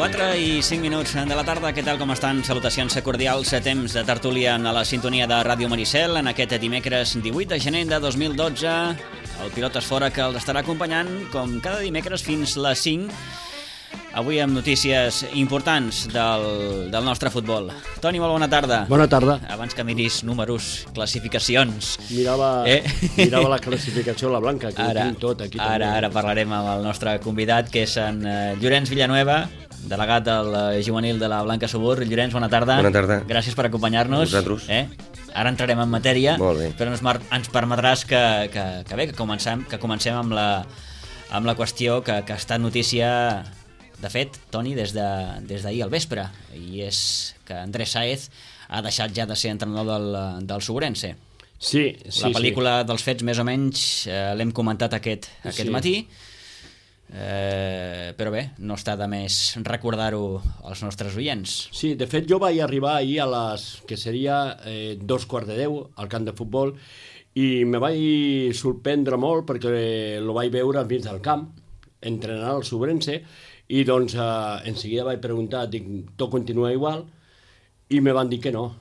4:05 de la tarda. Què tal, com estan? Salutacions cordials a temps de tertúlia a la sintonia de Ràdio Maricel en aquest dimecres 18 de gener de 2012. El Pilotes Fora que els estarà acompanyant com cada dimecres fins les 5. Avui amb notícies importants del nostre futbol. Toni, molt bona tarda. Bona tarda. Abans que miris números, classificacions... Mirava la classificació a la Blanca, que ho tinc tot aquí. Ara parlarem amb el nostre convidat, que és en Llorenç Villanueva, delegat del juvenil de la Blanca Subur. Llorenç, bona tarda. Bona tarda. Gràcies per acompanyar-nos. Vosaltres. Ara entrarem en matèria, Molt bé. però ens permetràs que comencem amb la qüestió que ha estat notícia, de fet, Toni, des d'ahir al vespre, i és que Andrés Sáez ha deixat ja de ser entrenador del Suburense. Sí. La pel·lícula dels fets, més o menys, l'hem comentat aquest matí, però bé, no està de més recordar-ho als nostres oients. Sí, de fet jo vaig arribar ahir a les que seria 9:45 al camp de futbol i me vaig sorprendre molt perquè lo vaig veure al mig del camp entrenant el Suburense i doncs en seguida vaig preguntar, dic, tot continua igual? I me van dir que no.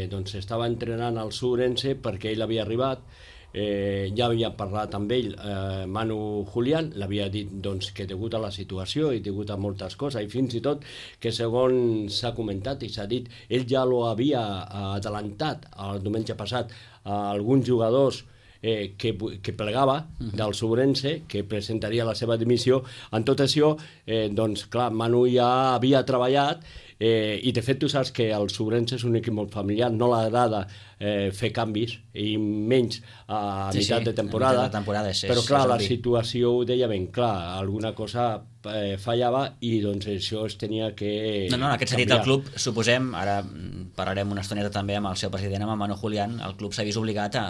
Doncs estava entrenant el Suburense perquè ell havia arribat, ja havia parlat amb ell, Manu Julián, l'havia dit doncs, que degut a la situació i degut a moltes coses, i fins i tot que segons s'ha comentat i s'ha dit, ell ja lo havia adelantat el diumenge passat a alguns jugadors que plegava del Suburense, que presentaria la seva dimissió. En tot això, doncs clar, Manu ja havia treballat i de fet tu saps que el Suburense és un equip molt familiar, no l'agrada fer canvis i menys a meitat de temporada, però clar, la situació ho deia ben clar, alguna cosa fallava i doncs això es tenia que No, en aquest sentit el club, suposem, ara parlarem una estoneta també amb el seu president, amb Manu Julián, el club s'ha vist obligat a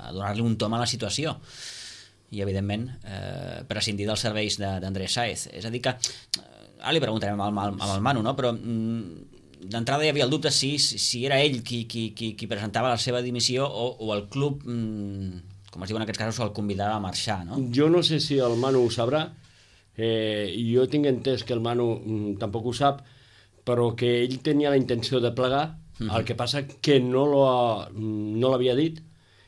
donar-li un tom a la situació i evidentment prescindir dels serveis d'Andrés Sáez. És a dir que ara li preguntarem amb el Manu, no? Però d'entrada hi havia el dubte si era ell qui presentava la seva dimissió o el club, com es diu en aquests casos, el convidava a marxar, no? Jo no sé si el Manu ho sabrà, jo tinc entès que el Manu tampoc ho sap, però que ell tenia la intenció de plegar, el que passa que no l'havia dit,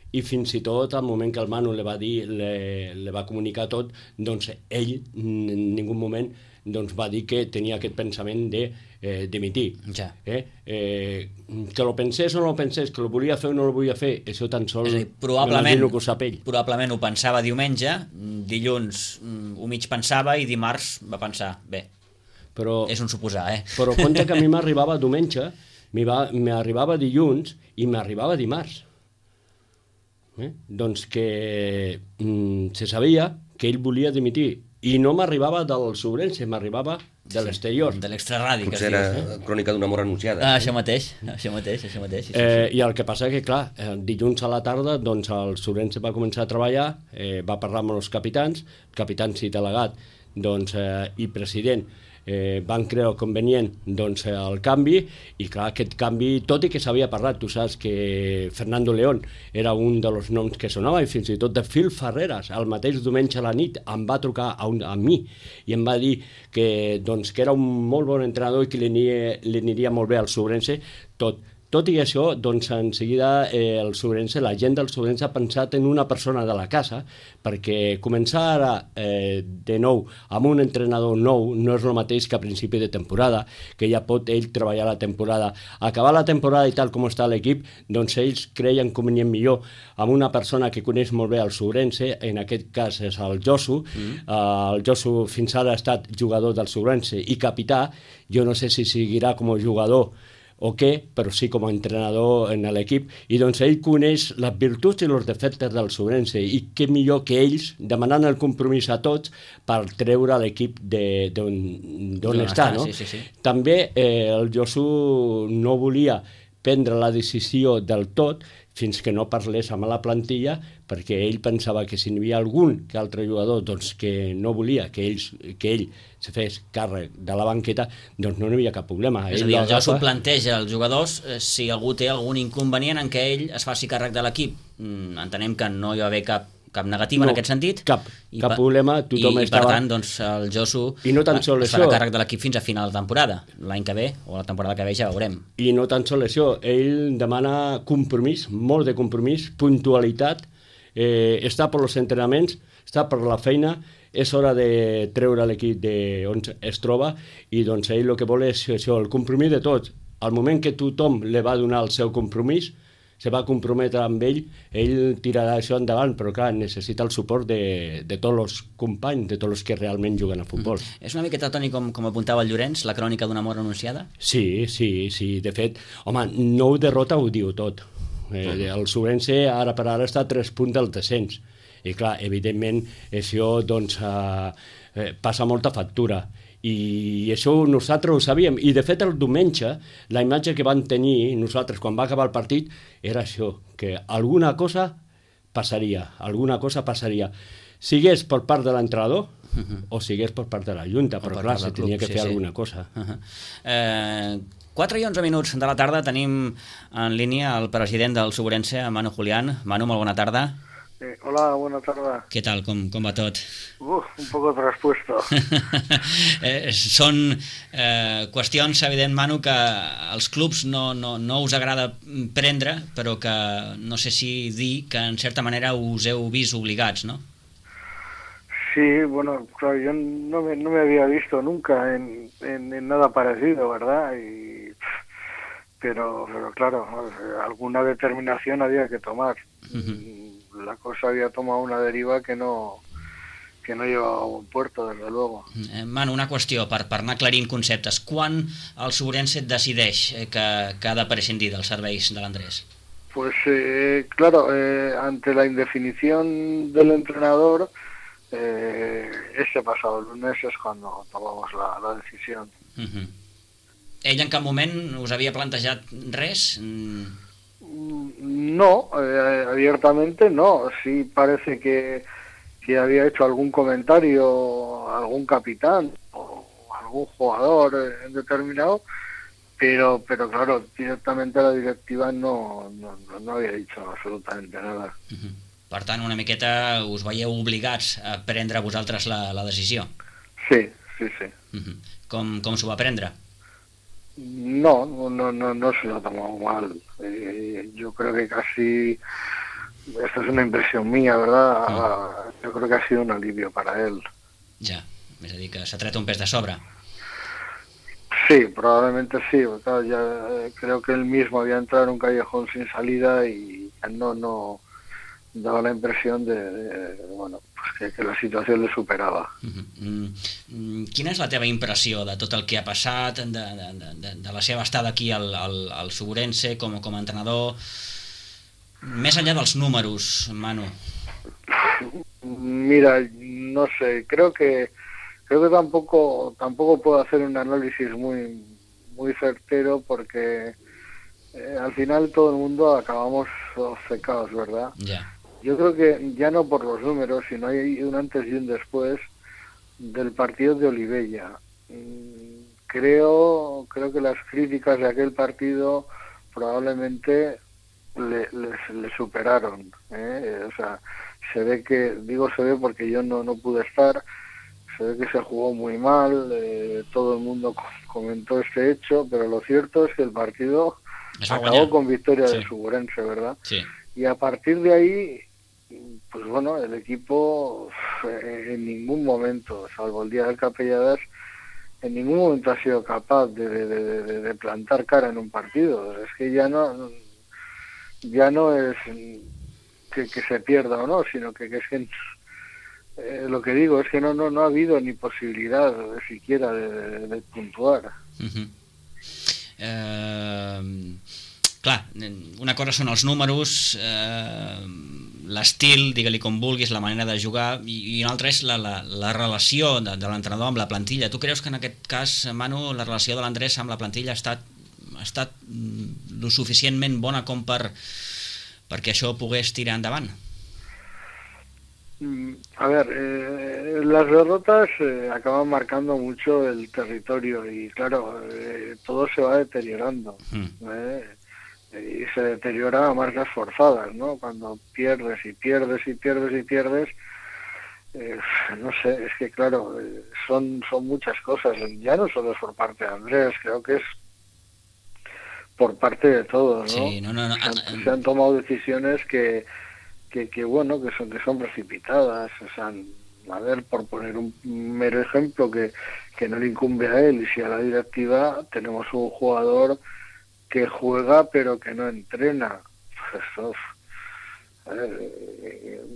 i fins i tot al moment que el Manu li va dir, li va comunicar tot, doncs ell en ningú moment doncs va dir que tenia aquest pensament de dimitir. Ja. Que lo pensés o no lo pensés, que lo volia fer o no lo volia fer, això tan sols probablement que ho sap ell. Probablement ho pensava diumenge, dilluns ho mig pensava i dimarts va pensar, bé, però, és un suposar, Però compte que a mi m'arribava diumenge, m'arribava dilluns i m'arribava dimarts. Doncs que se sabia que ell volia dimitir i no m'arribava del Suburense, m'arribava de l'exterior. De l'extraradi, potser era crònica d'un amor anunciada. Això mateix. Sí. I el que passa que, clar, dilluns a la tarda doncs el Suburense va començar a treballar, va parlar amb els capitans, capitans i delegat i president, van creure convenient doncs, el canvi, i clar, aquest canvi, tot i que s'havia parlat, tu saps que Fernando León era un dels noms que sonava, i fins i tot de Phil Ferreras, el mateix diumenge a la nit em va trucar a mi i em va dir que era un molt bon entrenador i que li aniria molt bé al Suburense. Tot i això, doncs, en seguida el Suburense, la gent del Suburense ha pensat en una persona de la casa, perquè començar ara de nou amb un entrenador nou no és el mateix que a principi de temporada, que ja pot ell treballar la temporada. Acabar la temporada i tal com està l'equip, doncs ells creien convenient millor amb una persona que coneix molt bé el Suburense, en aquest cas és el Josu. El Josu fins ara ha estat jugador del Suburense i capità, jo no sé si seguirà com a jugador o què, però sí com a entrenador en l'equip, i doncs ell coneix les virtuts i els defectes del Suburense, i què millor que ells demanant el compromís a tots per treure l'equip d'on està, no? Sí. També el Josu no volia prendre la decisió del tot fins que no parlés amb la plantilla, perquè ell pensava que si n'hi havia algun que altre jugador doncs, que no volia que ell se fes càrrec de la banqueta, doncs no hi havia cap problema. És a dir, el Josu planteja als jugadors si algú té algun inconvenient en què ell es faci càrrec de l'equip. Entenem que no hi va haver cap negativa en aquest sentit. Cap problema, tothom estava... I per tant, doncs, el Josu es farà càrrec de l'equip fins a final de temporada. L'any que ve, o la temporada que ve, ja veurem. I no tan sol això, ell demana compromís, molt de compromís, puntualitat, està per els entrenaments, està per la feina, és hora de treure l'equip on es troba i doncs ell el que vol és això, el compromís de tots. Al moment que tothom li va donar el seu compromís, se va comprometre amb ell tirarà això endavant, però clar, necessita el suport de tots els companys, de tots els que realment juguen a futbol. És una miqueta, Toni, com apuntava el Llorenç, la crònica d'una mort anunciada? Sí, de fet, home, 9 derrota ho diu tot. El Sobrense ara per ara està a 3 punts del descens. I clar, evidentment, això doncs, passa molta factura. I això nosaltres ho sabíem. I de fet el diumenge, la imatge que van tenir nosaltres quan va acabar el partit era això, que alguna cosa passaria. Sigués per part de l'entrenador o sigués per part de la Junta, però clar, se tenia que fer alguna cosa. 4 i 11 minuts de la tarda tenim en línia el president del Sobrense, Manu Julián. Manu, molt bona tarda. Hola, buena tarde. ¿Qué tal? ¿Cómo va todo? Un poco traspuesto. Són qüestions, evident, Manu, que als clubs no us agrada prendre, però que no sé si dir que en certa manera us heu vist obligats, ¿no? Sí, bueno, claro, yo no me había visto nunca en nada parecido, ¿verdad? Pero claro, alguna determinación había que tomar. La cosa había tomado una deriva que no llevava a un puerto, desde luego. Manu, una qüestió, per anar aclarint conceptes. Quan el Sobrense decideix que ha de prescindir dels serveis de l'Andrés? Pues claro, ante la indefinición del entrenador, ese pasado lunes es cuando tomamos la decisión. Ell en cap moment us havia plantejat res? No, abiertamente no. Sí parece que había hecho algún comentario algún capitán o algún jugador determinado, pero claro, directamente la directiva no había dicho absolutamente nada. Per tant, una miqueta us veieu obligats a prendre vosaltres la decisió? Sí. Com s'ho va prendre? No se lo ha tomado mal. Yo creo que casi, esta es una impresión mía, ¿verdad? Yo creo que ha sido un alivio para él. Ja, és a dir, que s'ha tret un pes de sobre. Sí, probablemente sí. Claro, ya creo que él mismo había entrado en un callejón sin salida y no daba la impresión bueno, pues que la situació le superava. Quina és la teva impressió de tot el que ha passat, de la seva estada aquí al Sobrense com a entrenador, més enllà dels números, Manu? Mira, no sé, creo que tampoco puedo hacer un análisis muy certero porque al final todo el mundo acabamos obcecados, ¿verdad? Ya. Yo creo que ya no por los números, sino hay un antes y un después del partido de Olivella. Creo que las críticas de aquel partido probablemente le superaron. O sea, se ve porque yo no pude estar, se ve que se jugó muy mal, todo el mundo comentó este hecho, pero lo cierto es que el partido acabó con victoria del Sobrense, ¿verdad? Sí. Y a partir de ahí, pues bueno, el equipo en ningún momento, salvo el día del Capelladas, en ningún momento ha sido capaz de plantar cara en un partido. Es que ya no es que se pierda o no, sino que es que lo que digo es que no ha habido ni posibilidad siquiera de puntuar. Clar, una cosa són els números, l'estil, digue-li com vulguis, la manera de jugar, i una altra és la relació de l'entrenador amb la plantilla. Tu creus que en aquest cas, Manu, la relació de l'Andrés amb la plantilla ha estat lo suficientment bona com perquè això pogués tirar endavant? A ver, las derrotas acaban marcando mucho el territorio y claro, todo se va deteriorando. y se deteriora a marcas forzadas, ¿no? Cuando pierdes y pierdes y pierdes y pierdes, no sé, es que claro, son muchas cosas, ya no solo es por parte de Andrés, creo que es por parte de todos, ¿no? Sí, no. Se han tomado decisiones que bueno, que son precipitadas, o sea, a ver, por poner un mero ejemplo que no le incumbe a él y si a la directiva, tenemos un jugador que juega pero que no entrena. Pues eso, a ver,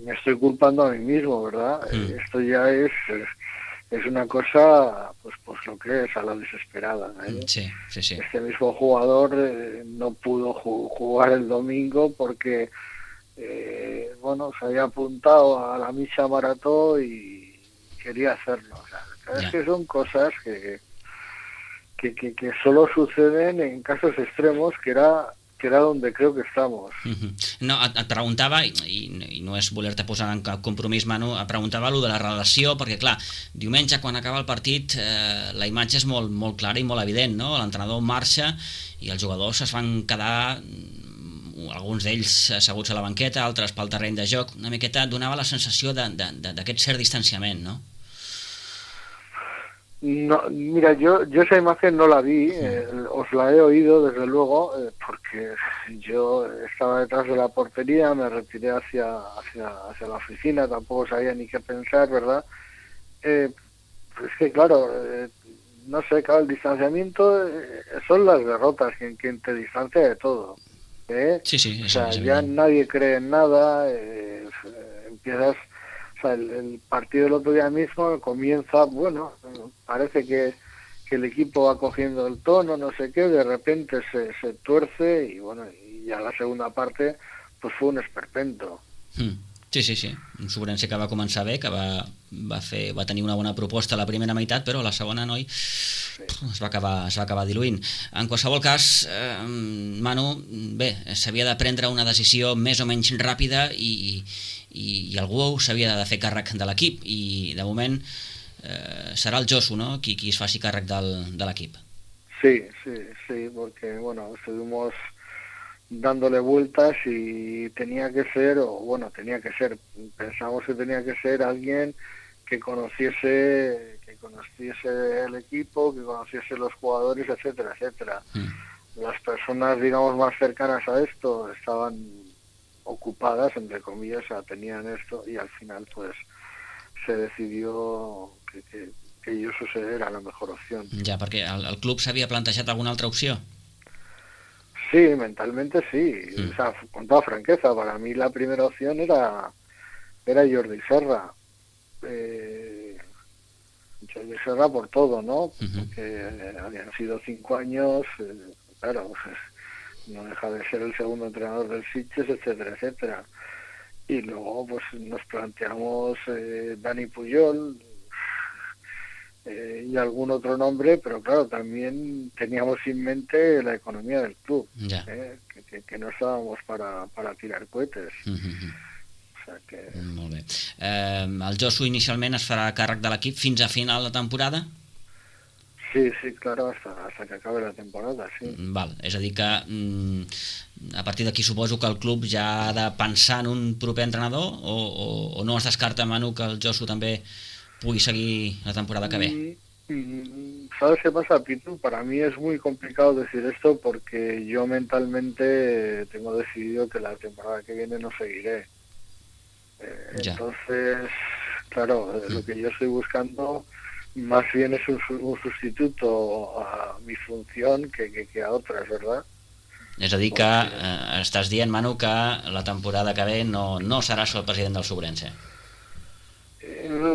me estoy culpando a mí mismo, ¿verdad? Esto ya es una cosa, pues lo que es, a la desesperada, ¿eh? Sí. Este mismo jugador no pudo jugar el domingo porque bueno, se había apuntado a la misa maratón y quería hacerlo. O sea, es que son cosas que solo suceden en casos extremos, que era donde creo que estamos. No, et preguntava, i no és voler-te posar en cap compromís, Manu, et preguntava allò de la relació, perquè clar, diumenge quan acaba el partit la imatge és molt, molt clara i molt evident, no? L'entrenador marxa i els jugadors es van quedar, alguns d'ells asseguts a la banqueta, altres pel terreny de joc, una miqueta donava la sensació d'aquest cert distanciament, no? No, mira, yo esa imagen no la vi, os la he oído desde luego, porque yo estaba detrás de la portería, me retiré hacia la oficina, tampoco sabía ni qué pensar, ¿verdad? Es que claro, no sé, claro, el distanciamiento son las derrotas quien te distancia de todo, ¿eh? Sí, o sea, ya nadie cree en nada, empiezas... El partido del otro día mismo comienza, bueno, parece que el equipo va cogiendo el tono, no sé qué, de repente se tuerce y bueno, y ya la segunda parte pues fue un esperpento. Sí. Un Sobrense que va començar bé, que va tenir una bona proposta a la primera meitat, però a la segona, noi, es va acabar diluint. En qualsevol cas, Manu, bé, s'havia de prendre una decisió més o menys ràpida i algú s'havia de fer càrrec de l'equip i de moment serà el Josu, ¿no?, qui es faci càrrec de l'equip. Sí, porque bueno, estuvimos dándole vueltas y tenía que ser, pensamos que tenía que ser alguien que conociese el equipo, que conociese los jugadores, etcétera. Las personas, digamos, más cercanas a esto estaban ocupadas, entre comillas, o sea, tenían esto y al final pues se decidió que Josu era la mejor opción. Ja, perquè el club s'havia plantejat alguna altra opció? Sí, mentalmente sí, o sea, con toda franqueza, para mí la primera opción era Jordi Serra. Jordi Serra por todo, ¿no? Porque habían sido 5 años, claro, pues, no deja de ser el segundo entrenador del Sitges, etcétera. Y luego pues nos planteamos Dani Pujol y algún otro nombre, pero claro, también teníamos en mente la economía del club, que no estábamos para tirar cohetes. O sea que... Molt bé. El Josu inicialment es farà càrrec de l'equip fins a final de temporada? Sí, claro, hasta que acabe la temporada, sí. Val, és a dir que a partir d'aquí suposo que el club ja ha de pensar en un proper entrenador o no es descarta, Manu, que el Josu també pugui seguir la temporada que ve? ¿Sabes qué pasa, Pitu? Para mí es muy complicado decir esto porque yo mentalmente tengo decidido que la temporada que viene no seguiré. Entonces, claro, lo que yo estoy buscando más bien es un sustituto a mi función que a otras, ¿verdad? És a dir que estàs dient, Manu, que la temporada que ve no seràs el president del Sobrense.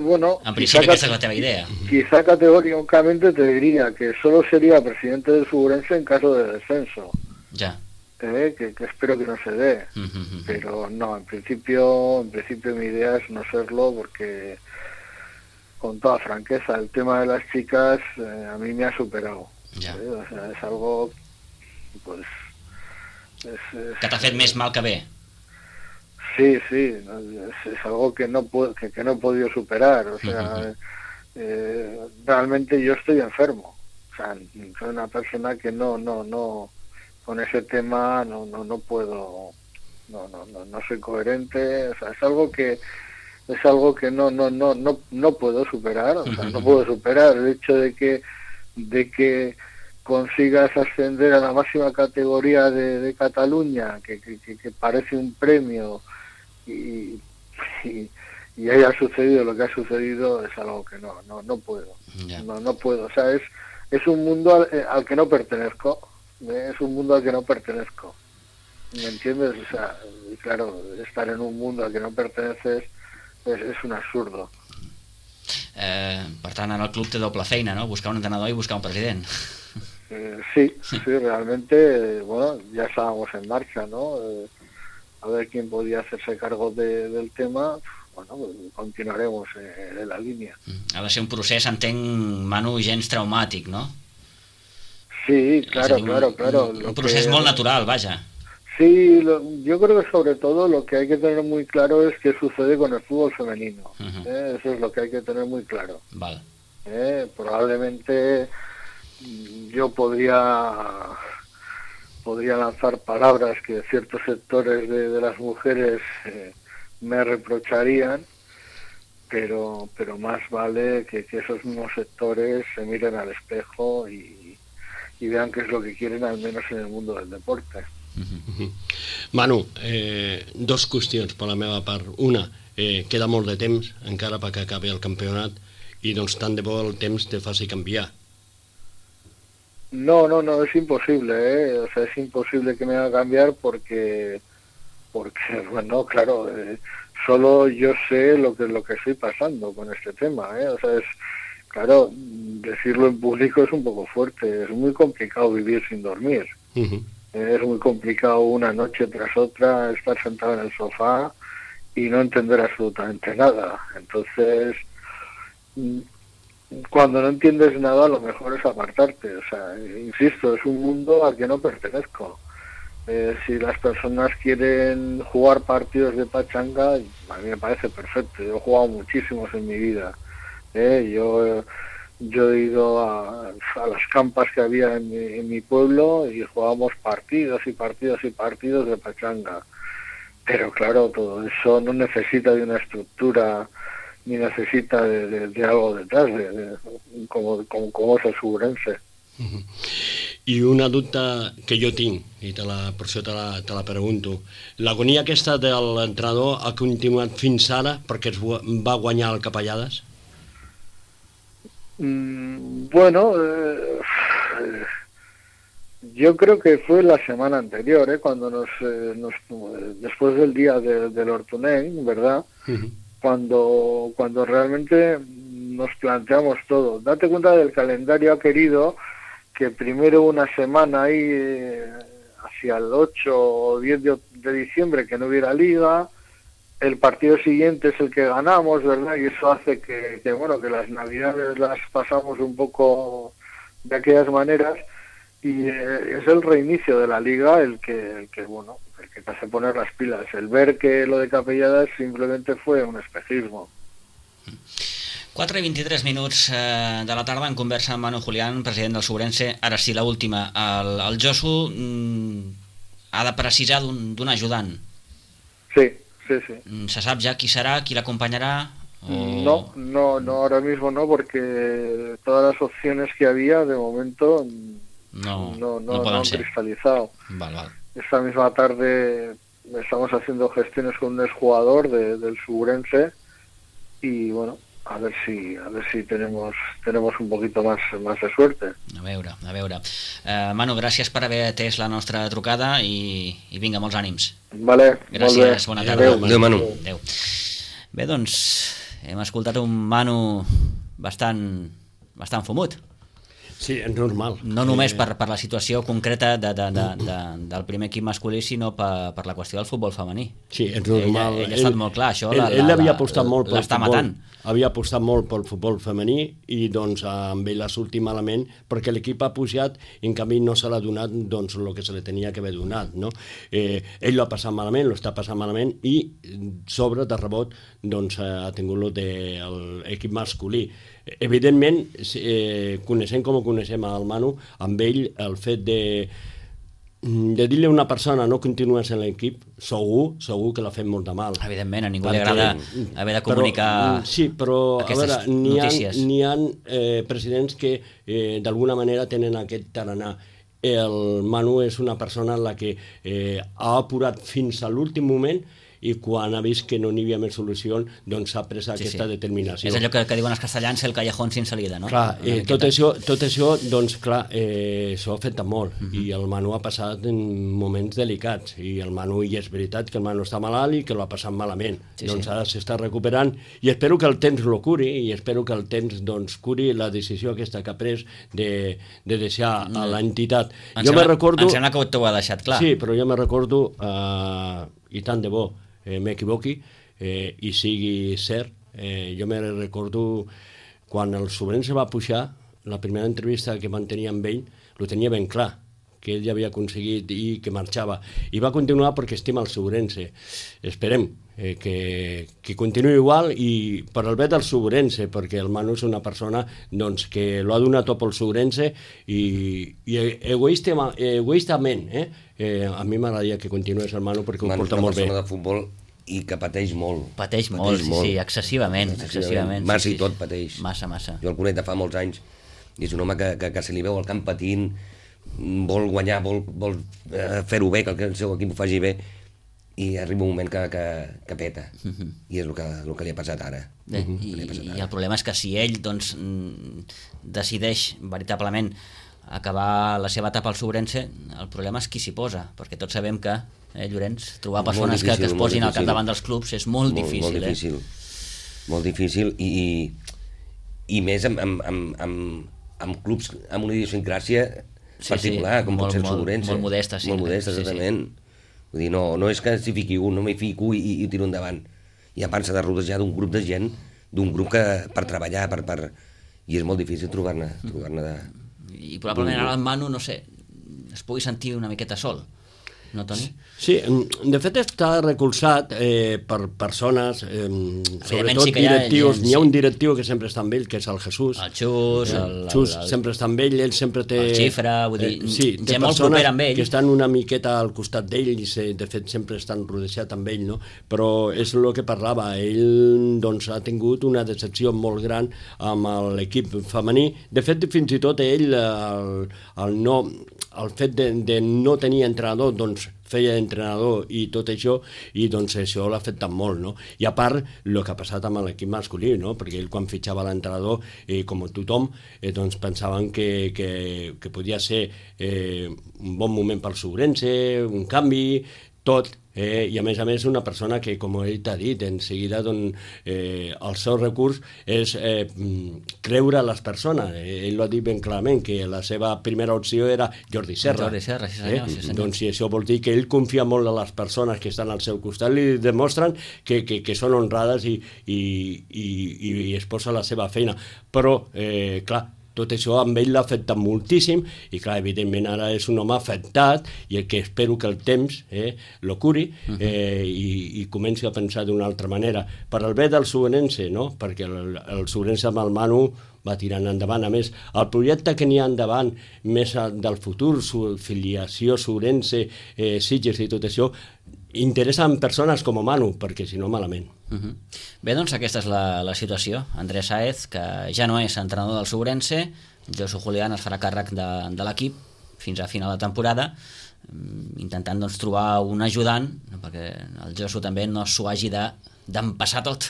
Bueno, en principi aquesta és la teva idea. Quizá categóricamente te diría que solo sería presidente del Sobrense en caso de descenso. Ya. Que espero que no se dé. Pero no, en principio mi idea es no serlo porque, con toda franqueza, el tema de las chicas a mí me ha superado. Ya. O sea, es algo, pues... que t'ha fet més mal que bé. Sí, es algo que no he podido superar, o sea, realmente yo estoy enfermo, o sea, soy una persona que no con ese tema no puedo, no soy coherente, o sea, es algo que no puedo superar, o sea, no puedo superar el hecho de que consigas ascender a la máxima categoría de Cataluña, que parece un premio, y haya sucedido lo que ha sucedido, es algo que no puedo. Yeah. No puedo, o sea, es un mundo al que no pertenezco, es un mundo al que no pertenezco, ¿me entiendes? O sea, y claro, estar en un mundo al que no perteneces és un absurdo. Per tant, en el club té doble feina, ¿no? Buscar un entrenador y buscar un president. Sí, realmente, bueno, ya estábamos en marcha, ¿no? A ver quién podía hacerse cargo del tema. Bueno, pues continuaremos en la línea. Ha de ser un procés, entenc, Manu, gens traumàtic, no? Sí, claro. Un procés molt natural, vaja. Sí, yo creo que sobre todo lo que hay que tener muy claro es qué sucede con el fútbol femenino. Eso es lo que hay que tener muy claro. Vale. Probablemente yo podría lanzar palabras que ciertos sectores de las mujeres me reprocharían, pero más vale que esos mismos sectores se miren al espejo y vean qué es lo que quieren, al menos en el mundo del deporte. Manu, dos qüestions per la meva part. Una, queda molt de temps encara perquè acabi el campionat i doncs tant de bo el temps te faci canviar. No, es imposible, o sea, es imposible que me haga cambiar porque bueno, claro, solo yo sé lo que estoy pasando con este tema, o sea, claro, decirlo en público es un poco fuerte, es muy complicado vivir sin dormir. Es muy complicado una noche tras otra estar sentado en el sofá y no entender absolutamente nada. Entonces, cuando no entiendes nada, lo mejor es apartarte. O sea, insisto, es un mundo al que no pertenezco. Si las personas quieren jugar partidos de pachanga, a mí me parece perfecto. Yo he jugado muchísimos en mi vida. Yo he ido a las campas que había en mi pueblo y jugábamos partidos y partidos y partidos de pachanga. Pero claro, todo eso no necesita de una estructura ni necesita de algo detrás, como es el Subrense. I una dubte que jo tinc, i per això te la pregunto. L'agonia aquesta de l'entrenador ha continuat fins ara perquè es va guanyar el Capellades? Bueno, yo creo que fue la semana anterior, cuando después del día del Hortonell, ¿verdad? Cuando realmente nos planteamos todo. Date cuenta del calendario, ha querido que primero una semana ahí hacia el 8 o 10 de diciembre que no hubiera liga. El partido siguiente es el que ganamos, ¿verdad? Y eso hace que las navidades las pasamos un poco de aquellas maneras, y es el reinicio de la liga el que te hace poner las pilas. El ver que lo de Capelladas simplemente fue un espejismo. 4 i 23 minuts de la tarda en conversa amb Manu Julián, president del Subrense. Ara sí, l'última. El Josu ha de precisar d'un ajudant. Sí. ¿Se sap ja qui serà, qui l'acompanyarà? No, ahora mismo no, porque todas las opciones que había de momento no han cristalizado. Vale. Esta misma tarde estamos haciendo gestiones con un exjugador del Subrense y bueno, a ver si tenemos un poquito más de suerte. A veure. Manu, gràcies per haver atès la nostra trucada i vinga, molts ànims. Vale, gràcies, bona tarda. Adéu, Manu. Adéu. Bé, doncs, hem escoltat un Manu bastant fumut. Sí, és normal. No només per la situació concreta del primer equip masculí, sinó per la qüestió del futbol femení. Sí, és normal. Ell ha estat molt clar, això ell havia apostat molt pel l'està futbol. matant. Havia apostat molt pel futbol femení i doncs amb ell ha sortit malament perquè l'equip ha pujat i en canvi no se l'ha donat doncs el que se li tenia que haver donat, no? Ell l'ha passat malament, l'està passant malament i sobre de rebot doncs ha tingut l'equip masculí. Evidentment, coneixent com ho coneixem al Manu, amb ell el fet de dir-li a una persona no continues en l'equip, segur que l'ha fet molt de mal. Evidentment, a ningú li agrada haver de comunicar aquestes notícies. N'hi ha presidents que d'alguna manera tenen aquest tarannà. El Manu és una persona en la que ha apurat fins a l'últim moment i quan ha vist que no n'hi havia més solució, doncs s'ha pres aquesta determinació. És allò que diuen els castellans, el callejón sin salida, no? Clar, tot això, doncs clar, s'ho ha fet molt, i el Manu ha passat en moments delicats, i el Manu, i és veritat que el Manu està malalt i que l'ha passat malament, doncs ara s'està recuperant, i espero que el temps lo curi, i espero que el temps doncs curi la decisió aquesta que ha pres de deixar a l'entitat. Em sembla que t'ho ha deixat clar. Sí, però jo me recordo, i tant de bo, m'equivoqui i sigui cert, jo me recordo quan el Sobrense va pujar, la primera entrevista que van tenir amb ell lo tenia ben clar, que ell ja havia aconseguit i que marxava, i va continuar perquè estima el Sobrense. Esperem que continuï igual, i per el bé del Sobrense, perquè el Manu és una persona doncs, que lo ha donat tot pel Sobrense, i egoistament a mi m'agradaria que continués el Manu perquè ho porta molt bé. Manu és una persona de futbol i que pateix molt. Pateix molt, sí, excessivament. Massa i tot pateix. Massa. Jo el conec de fa molts anys, i és un home que se li veu al camp patint, vol guanyar, vol fer-ho bé, que el seu equip ho faci bé, i arriba un moment que peta, i és el que li ha passat ara. I el problema és que si ell doncs, decideix veritablement acabar la seva etapa al Sobrense, el problema és qui s'hi posa, perquè tots sabem que, Llorenç, trobar persones que es posin al capdavant dels clubs és molt difícil. Molt difícil, i més amb clubs amb una idiosincràsia particular, com pot ser el Sobrense. Molt modesta, sí. Molt modesta, exactament. Vull dir, no és que s'hi fiqui un, no m'hi fico i ho tiro endavant. I a part s'ha de rodejar d'un grup de gent, d'un grup que per treballar, i és molt difícil trobar-ne de... I probablement ara el Manu, no sé, es pugui sentir una miqueta sol, no, Toni? Sí, de fet està recolzat per persones, sobretot directius. N'hi ha un directiu que sempre està amb ell, que és el Jesús. El Xus. El Xus sempre està amb ell, ell sempre té... El Xifra, vull dir, té molt propera amb ell. Que estan una miqueta al costat d'ell i de fet sempre estan rodejats amb ell, no? Però és el que parlava, ell doncs, ha tingut una decepció molt gran amb l'equip femení. De fet, fins i tot ell, el fet de no tenir entrenador, doncs feia d'entrenador i tot això, i doncs això l'ha afectat molt, no? I a part, el que ha passat amb l'equip masculí, no? Perquè ell quan fitxava l'entrenador, com tothom, doncs pensaven que podia ser un bon moment pel Sobrense, un canvi, tot, i a més una persona que, com ell t'ha dit, en seguida el seu recurs és creure a les persones. Ell ho ha dit ben clarament, que la seva primera opció era Jordi Serra. Sí senyor. Doncs si això vol dir que ell confia molt en les persones que estan al seu costat, li demostren que són honrades i es posa la seva feina. Però, clar, tot això amb ell l'ha afectat moltíssim, i clar, evidentment ara és un home afectat, i el que espero que el temps lo curi i comenci a pensar d'una altra manera, per al bé del Sobrense, no? Perquè el Sobrense amb el Manu va tirant endavant. A més, el projecte que n'hi ha endavant, més del futur, filiació Sobrense, Sitges i tot això, interessa en persones com Manu, perquè si no, malament. Bé, doncs aquesta és la situació. Andrés Sáez, que ja no és entrenador del Sobrense, Josu Julián es farà càrrec de l'equip fins a final de temporada, intentant doncs, trobar un ajudant, perquè el Josu també no s'ho hagi d'empassar tot.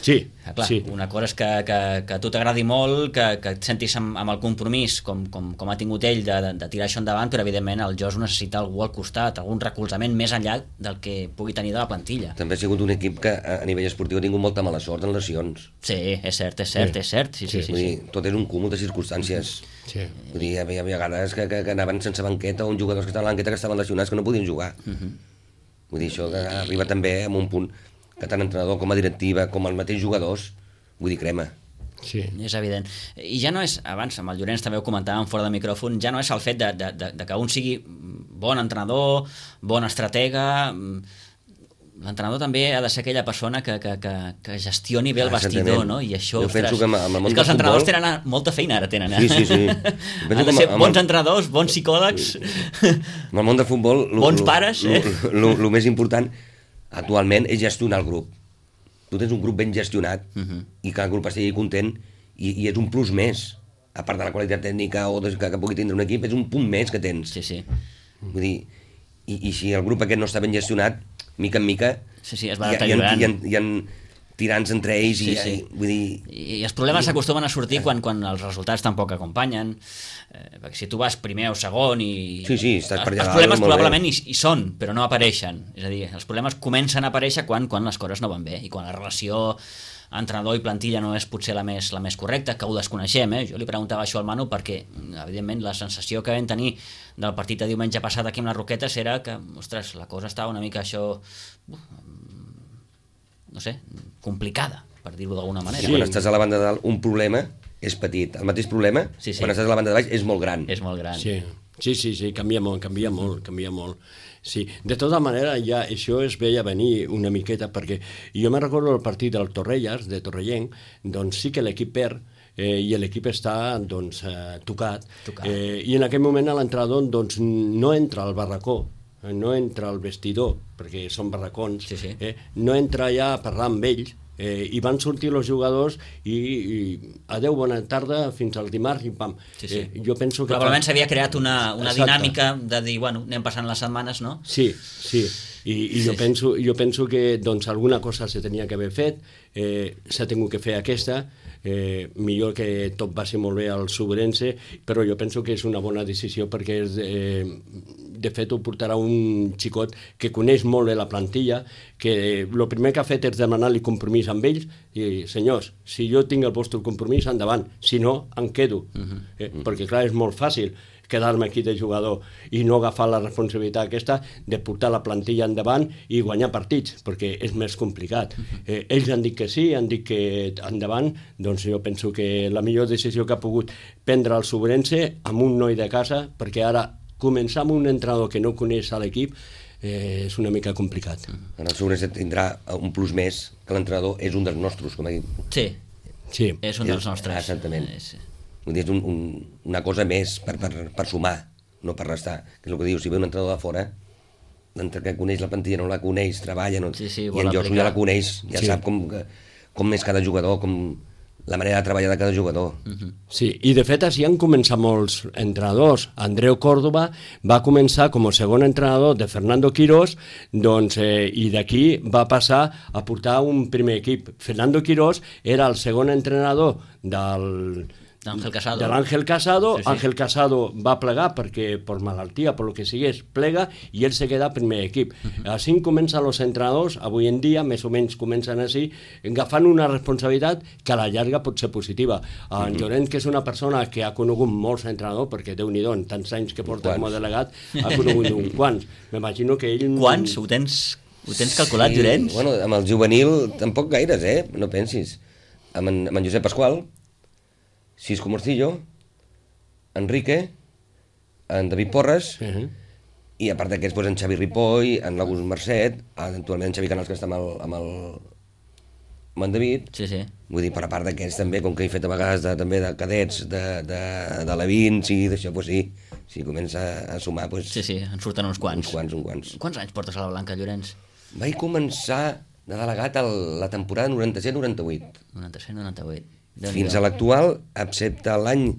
Sí, clar, sí. Una cosa és que a tu t'agradi molt, que et sentis amb el compromís com ha tingut ell de tirar això endavant, però evidentment el Josu necessita algú al costat, algun recolzament més enllà del que pugui tenir de la plantilla. També ha sigut un equip que a nivell esportiu ha tingut molta mala sort en lesions. Sí, és cert. Sí. Vull dir, tot és un cúmul de circumstàncies. Sí. Vull dir, hi havia vegades que anaven sense banqueta, o uns jugadors que estaven a la banqueta que estaven lesionats que no podien jugar. Vull dir, això arriba també a un punt que tant entrenador com a directiva, com els mateixos jugadors, vull dir, crema. Sí. És evident. I ja no és, abans amb el Llorenç també ho comentàvem fora de micròfon, ja no és el fet de que un sigui bon entrenador, bon estratega, l'entrenador també ha de ser aquella persona que gestioni bé el vestidor, no? I això, ostres, és que els entrenadors tenen molta feina ara, tenen. Sí. Han de ser bons entrenadors, bons psicòlegs. En el món del futbol... Bons pares, El més important actualment és gestionar el grup. Tu tens un grup ben gestionat i que el grup estigui content i és un plus més, a part de la qualitat tècnica o que pugui tindre un equip, és un punt més que tens. Sí. Vull dir, i si el grup aquest no està ben gestionat, mica en mica es va deteriorant. Hi ha tirants entre ells vull dir... I els problemes s'acostumen a sortir quan els resultats tampoc acompanyen, perquè si tu vas primer o segon i... Sí, estàs per allà. Els problemes probablement hi són, però no apareixen. És a dir, els problemes comencen a aparèixer quan les coses no van bé i quan la relació entrenador i plantilla no és potser la més correcta, que ho desconeixem, Jo li preguntava això al Manu perquè, evidentment, la sensació que vam tenir del partit de diumenge passat aquí amb les Roquetes era que, ostres, la cosa estava una mica no sé, complicada, per dir-ho d'alguna manera. Quan estàs a la banda de dalt, un problema és petit. El mateix problema, quan estàs a la banda de baix, és molt gran. És molt gran. Sí, canvia molt. Sí, de tota manera ja això es veia venir una miqueta perquè jo me recordo el partit del Torrelles, de Torrellenc, doncs sí que l'equip perd i l'equip està tocat. I en aquell moment l'entrenador no entra al barracó, no entra al vestidor, perquè són barracons, no entra allà a parlar amb ells, i van sortir els jugadors i adeu, bona tarda, fins al dimarts i pam. Jo penso que... Probablement s'havia creat una dinàmica de dir, bueno, anem passant les setmanes, no? Sí. I jo penso que alguna cosa se tenia que haver fet, s'ha tingut que fer aquesta, millor que tot va ser molt bé al Subrense, però jo penso que és una bona decisió perquè de fet ho portarà un xicot que coneix molt bé la plantilla, que el primer que ha fet és demanar-li compromís amb ells i, senyors, si jo tinc el vostre compromís, endavant, si no, em quedo. Perquè clar, és molt fàcil quedar-me aquí de jugador i no agafar la responsabilitat aquesta de portar la plantilla endavant i guanyar partits, perquè és més complicat. Ells han dit que sí, han dit que endavant, doncs jo penso que la millor decisió que ha pogut prendre el Subrense amb un noi de casa, perquè ara començar amb un entrenador que no coneix a l'equip és una mica complicat. El Subrense tindrà un plus més, que l'entrenador és un dels nostres, com ha dit. Sí, és un dels nostres. Exactament. Vull dir, és una cosa més per sumar, no per restar. Que és el que diu, si ve un entrenador de fora, d'entre que coneix la plantilla, no la coneix, treballa, i en Josu ja la coneix, ja sap com és cada jugador, com la manera de treballar de cada jugador. Sí, i de fet així han començat molts entrenadors. Andreu Córdoba va començar com a segon entrenador de Fernando Quirós, i d'aquí va passar a portar un primer equip. Fernando Quirós era el segon entrenador d'Àngel Casado. De l'Àngel Casado. Àngel Casado va plegar perquè per malaltia, per lo que sigués, plega i ell se queda primer equip. Així comencen els entrenadors, avui en dia, més o menys comencen així, agafant una responsabilitat que a la llarga pot ser positiva. En Llorenç, que és una persona que ha conegut molts entrenadors, perquè Déu-n'hi-do, en tants anys que porta com a delegat, ha conegut uns quants. M'imagino que ell... Quants? Ho tens calculat, Llorenç? Bueno, amb el juvenil tampoc gaires, no pensis. Amb en Josep Pasqual, Cisco Morcillo, Enrique, en David Porres, i a part d'aquests, en Xavi Ripoll, en l'August Mercet, actualment en Xavi Canals, que està amb en David. Vull dir, per a part d'aquests també, com que he fet a vegades també de cadets, de Levins i d'això, si comença a sumar... en surten uns quants. Uns quants. Quants anys portes a la Blanca, Llorenç? Vaig començar de delegat la temporada 97-98. 97-98. Fins a l'actual, excepte l'any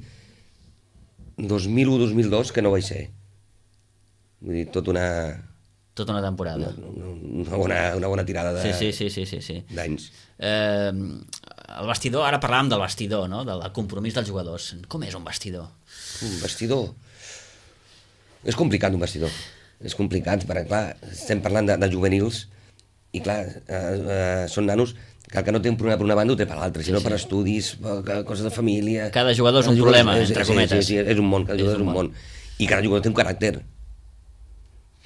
2001-2002, que no vaig ser. Vull dir, tota una temporada. Una bona tirada d'anys. El vestidor, ara parlàvem del vestidor, no? Del compromís dels jugadors. Com és un vestidor? Un vestidor? És complicat, un vestidor. És complicat, perquè, clar, estem parlant de juvenils i, clar, són nanos que el que no té un problema per una banda ho té per l'altra, sinó per estudis, coses de família... Cada jugador és un problema, entre cometes. Sí, és un món, cada jugador és un món. I cada jugador té un caràcter.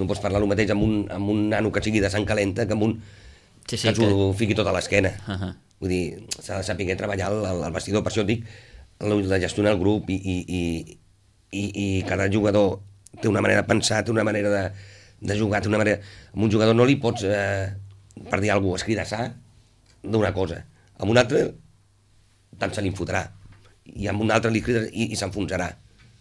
No pots parlar el mateix amb un nano que sigui de sang calenta que amb un que ens ho fiqui tot a l'esquena. Vull dir, s'ha de saber treballar el vestidor, per això dic, de gestionar el grup i cada jugador té una manera de pensar, té una manera de jugar, té una manera... Amb un jugador no li pots per dir alguna cosa, escridassar d'una cosa. Amb un altre tant se li fotrà. I amb un altre li crides i s'enfonsarà.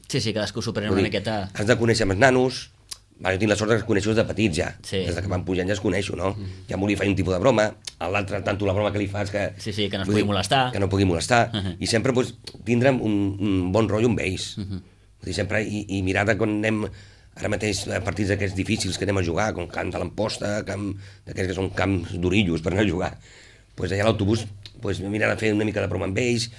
Sí, cadascú s'ho pren una miqueta... Has de conèixer amb els nanos. Jo tinc la sort que els coneixo des de petits ja. Sí. Des que van pujant ja els coneixo, no? Ja m'ho li faig un tipus de broma, a l'altre tant la broma que li fas que... Sí, que no es pugui molestar. Que no pugui molestar. I sempre tindrem un bon rotllo amb ells. Vull dir, sempre, i mirar de quan anem ara mateix a partits d'aquests difícils que anem a jugar, com camps de l'Amposta, d'aquests que són camps d'orillos per anar a jugar. Pues allà a l'autobús mirar de fer una mica de broma amb ells,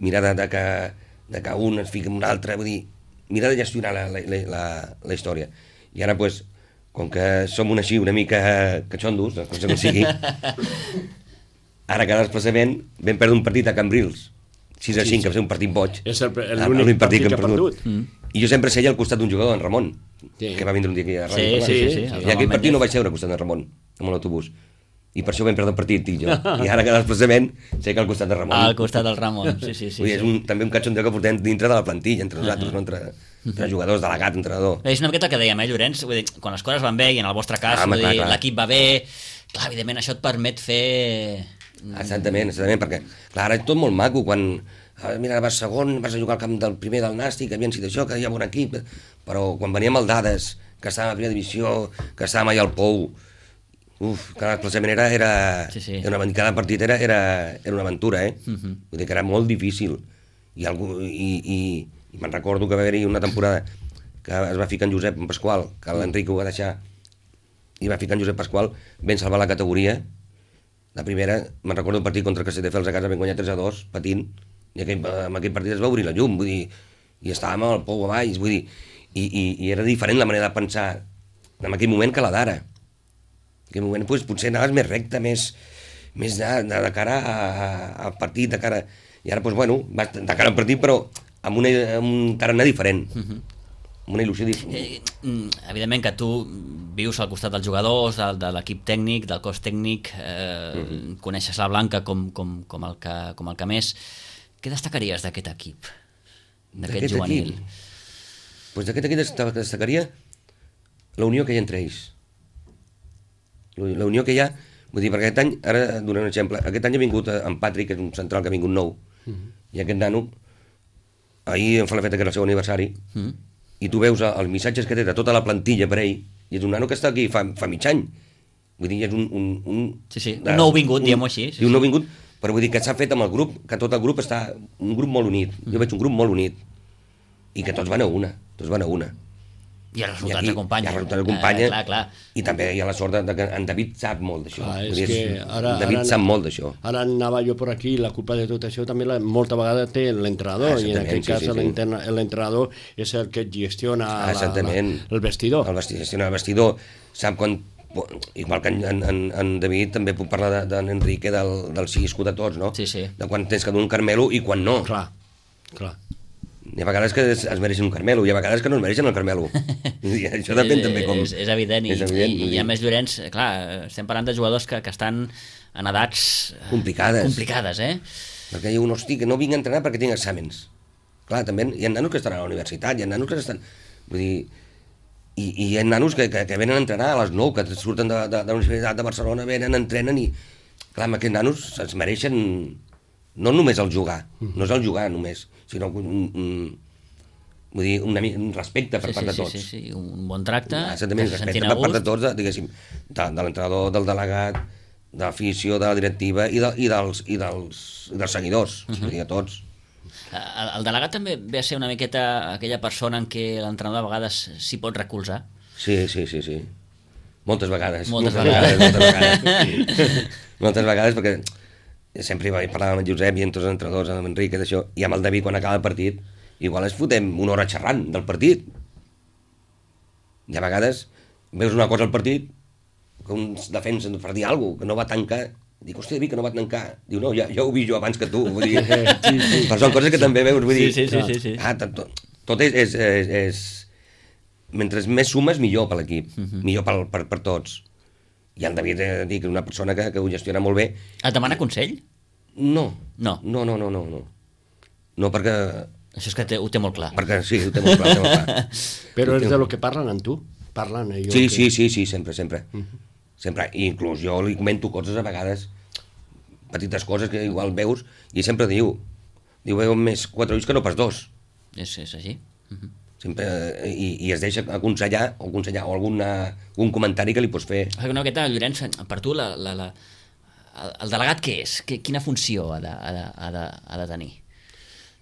mirar de que un es fiqui amb un altre, vull dir, mirar de gestionar la història. I ara, com que som una mica catxondos, com se sigui, ara cada desplaçament vam perdre un partit a Cambrils, 6-5, que va ser un partit boig. És l'únic partit que ha perdut. I jo sempre seia al costat d'un jugador, en Ramon, que va vindre un dia aquí a ràdio. Sí. I aquell partit no vaig seure al costat de Ramon, amb l'autobús. I per això vam perdre el partit, dic jo. I ara cada desplaçament sé que al costat de Ramon. Al costat del Ramon, sí. És també un catxondeu que portem dintre de la plantilla, entre nosaltres, no? Entre jugadors, delegat, entrenador. És una miqueta el que dèiem, Llorenç, vull dir, quan les coses van bé, i en el vostre cas, l'equip va bé, clar, evidentment això et permet fer... Exactament, perquè, clar, ara és tot molt maco, quan... Mira, vas segon, vas a jugar al camp del primer del Nàstic, havien sigut això, que hi ha bon equip, però quan veníem al Dades, que estàvem a primera divisió, que estàvem allà al Pou, cada desplaçament era cada partit era una aventura, Vull dir que era molt difícil. I me'n recordo que va haver-hi una temporada que es va ficar en Josep Pasqual, que l'Enric ho va deixar, i va ficar en Josep Pasqual, ben salvar la categoria. La primera, me'n recordo un partit contra el Castelldefels a casa, vam guanyar 3-2, patint, i amb aquell partit es va obrir la llum, vull dir, i estàvem al Pou a baix, vull dir, i era diferent la manera de pensar en aquell moment que la d'ara. En aquell moment potser anaves més recte, més de cara al partit, de cara... I ara, vas de cara al partit, però amb un tarannà diferent, amb una il·lusió diferent. Evidentment que tu vius al costat dels jugadors, de l'equip tècnic, del cos tècnic, coneixes la Blanca com el que més. Què destacaries d'aquest equip, d'aquest juvenil? D'aquest equip destacaria la unió que hi ha entre ells. La unió que hi ha, vull dir, perquè aquest any, ara donaré un exemple, aquest any ha vingut en Patrick, que és un central que ha vingut nou, i aquest nano, ahir em fa la feta que era el seu aniversari, i tu veus els missatges que té de tota la plantilla per ell, i és un nano que està aquí fa mig any. Vull dir, és un nou vingut, diguem-ho així. Un nou vingut, però vull dir que s'ha fet amb el grup, que tot el grup està un grup molt unit. Jo veig un grup molt unit, i que tots van a una. I els resultats acompanyen. Clar. I també hi ha la sort que en David sap molt d'això. David sap molt d'això. Ara anava jo per aquí, la culpa de tot això també molta vegada té l'entrenador, i en aquest cas l'entrenador és el que gestiona el vestidor. Gestiona el vestidor, sap quan... Igual que en David també puc parlar d'en Enrique del cisco de tots, no? Sí. De quan tens que donar un Carmelo i quan no. Clar. Hi ha vegades que es mereixen un Carmelo, hi ha vegades que no es mereixen el Carmelo. I això depèn també com... És evident, i a més, Llorenç, clar, estem parlant de jugadors que estan en edats... complicades, Perquè hi ha un hosti que no vinc a entrenar perquè tinc exàmens. Clar, també hi ha nanos que estan a la universitat, hi ha nanos que estan... Vull dir... I hi ha nanos que venen a entrenar a les 9, que surten de la Universitat de Barcelona, venen, entrenen i... Clar, amb aquests nanos es mereixen no només el jugar, no és el jugar només, sinó un respecte per part de tots. Sí, un bon tracte, exactament, respecte per part de tots, diguéssim, de l'entrenador, del delegat, de l'afició, de la directiva i dels seguidors, de tots. El delegat també ve a ser una miqueta aquella persona en què l'entrenador a vegades s'hi pot recolzar. Sí. Moltes vegades. Moltes vegades, perquè sempre parlàvem amb en Josep i amb tots els entrenadors, amb Enrique, d'això, i amb el David quan acaba el partit, igual ens fotem una hora xerrant del partit. I a vegades veus una cosa al partit, que uns defensen per dir alguna cosa, que no va tancar. Dic, hòstia, David, que no va tancar. Diu, no, ja ho vi jo abans que tu. Vull dir, però són coses que també veus, vull dir... Sí. Tot és... Mentre més sumes, millor per l'equip, millor per tots. I el David, dic, una persona que ho gestiona molt bé. Et demana consell? No. No, perquè... Això és que ho té molt clar. Perquè sí, ho té molt clar. Però és de lo que parlen amb tu? Parlen Sí, sempre. Sempre, i inclús jo li comento coses a vegades, petites coses que igual veus, i sempre diu veu més 4 ulls que no pas 2. És així. Sempre, i es deixa aconsellar o algun comentari que li pots fer. Una miqueta, Llorenç, per tu el delegat què és? Quina funció ha de tenir?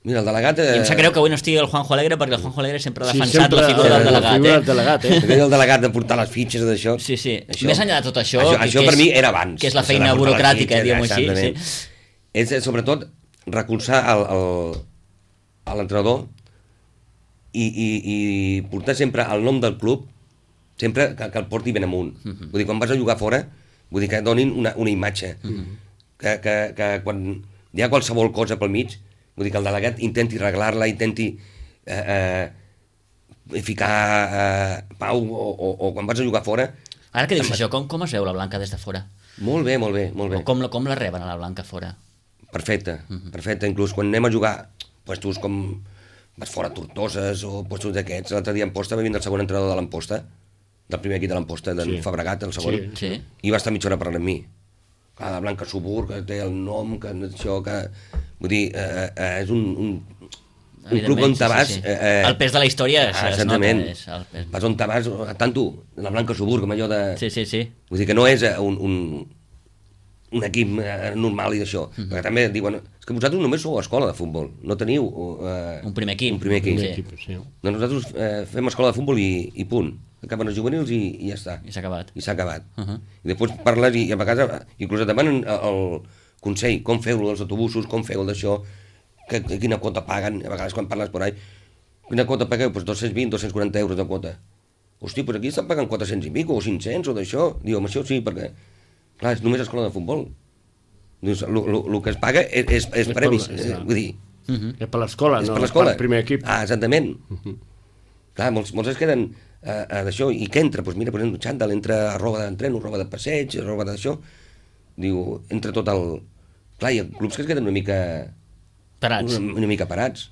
Mira, el delegat... I em sap greu que avui no estigui el Juanjo Alegre, perquè el Juanjo Alegre sempre ha defensat la figura del delegat. El delegat de portar les fitxes d'això. Sí. Més enllà de tot això... Això per mi era abans. Que és la feina burocràtica, diguem-ho així. És, sobretot, recolzar l'entrenador i portar sempre el nom del club, sempre que el porti ben amunt. Vull dir, quan vas a jugar fora, vull dir que donin una imatge. Que quan hi ha qualsevol cosa pel mig, vull dir que el delegat intenti arreglar-la, intenti ficar pau, o quan vas a jugar fora... Ara que dius això, com es veu la Blanca des de fora? Molt bé. Com la reben a la Blanca fora? Perfecte. Inclús quan anem a jugar puestos com vas fora a Tortoses o puestos d'aquests. L'altre dia a Amposta va vindre el segon entrenador de l'Amposta, del primer equip de l'Amposta, d'en Fabregat, el segon, i va estar mitja hora parlant amb mi. Clar, la Blanca Subur, que té el nom, que això, que... Vull dir, és un club on te vas... El pes de la història es nota. Vas on te vas, tant tu, la Blanca Subur, com allò de... Sí. Vull dir que no és un equip normal i d'això, perquè també diuen, és que vosaltres només sou escola de futbol, no teniu un primer equip. Sí. Nosaltres fem escola de futbol i punt, acaben els juvenils i ja està. I s'ha acabat. I després parles i a vegades inclús et demanen el consell, com feu els autobusos, com feu d'això, quina quota paguen, a vegades quan parles per ahí, quina quota pagueu? Doncs 220, 240 euros de quota. Hosti, doncs aquí estan pagant 400 i pico, o 500 o d'això. Diu, amb això sí, perquè clar, és només escola de futbol. El que es paga és premis. Vull dir... És per l'escola, no per el primer equip. Exactament. Clar, molts es queden d'això. I què entra? Doncs mira, per exemple, xandall, entra roba d'entreno, roba de passeig, roba d'això. Diu, entra tot el... Clar, hi ha clubs que es queden una mica... Parats. Una mica parats.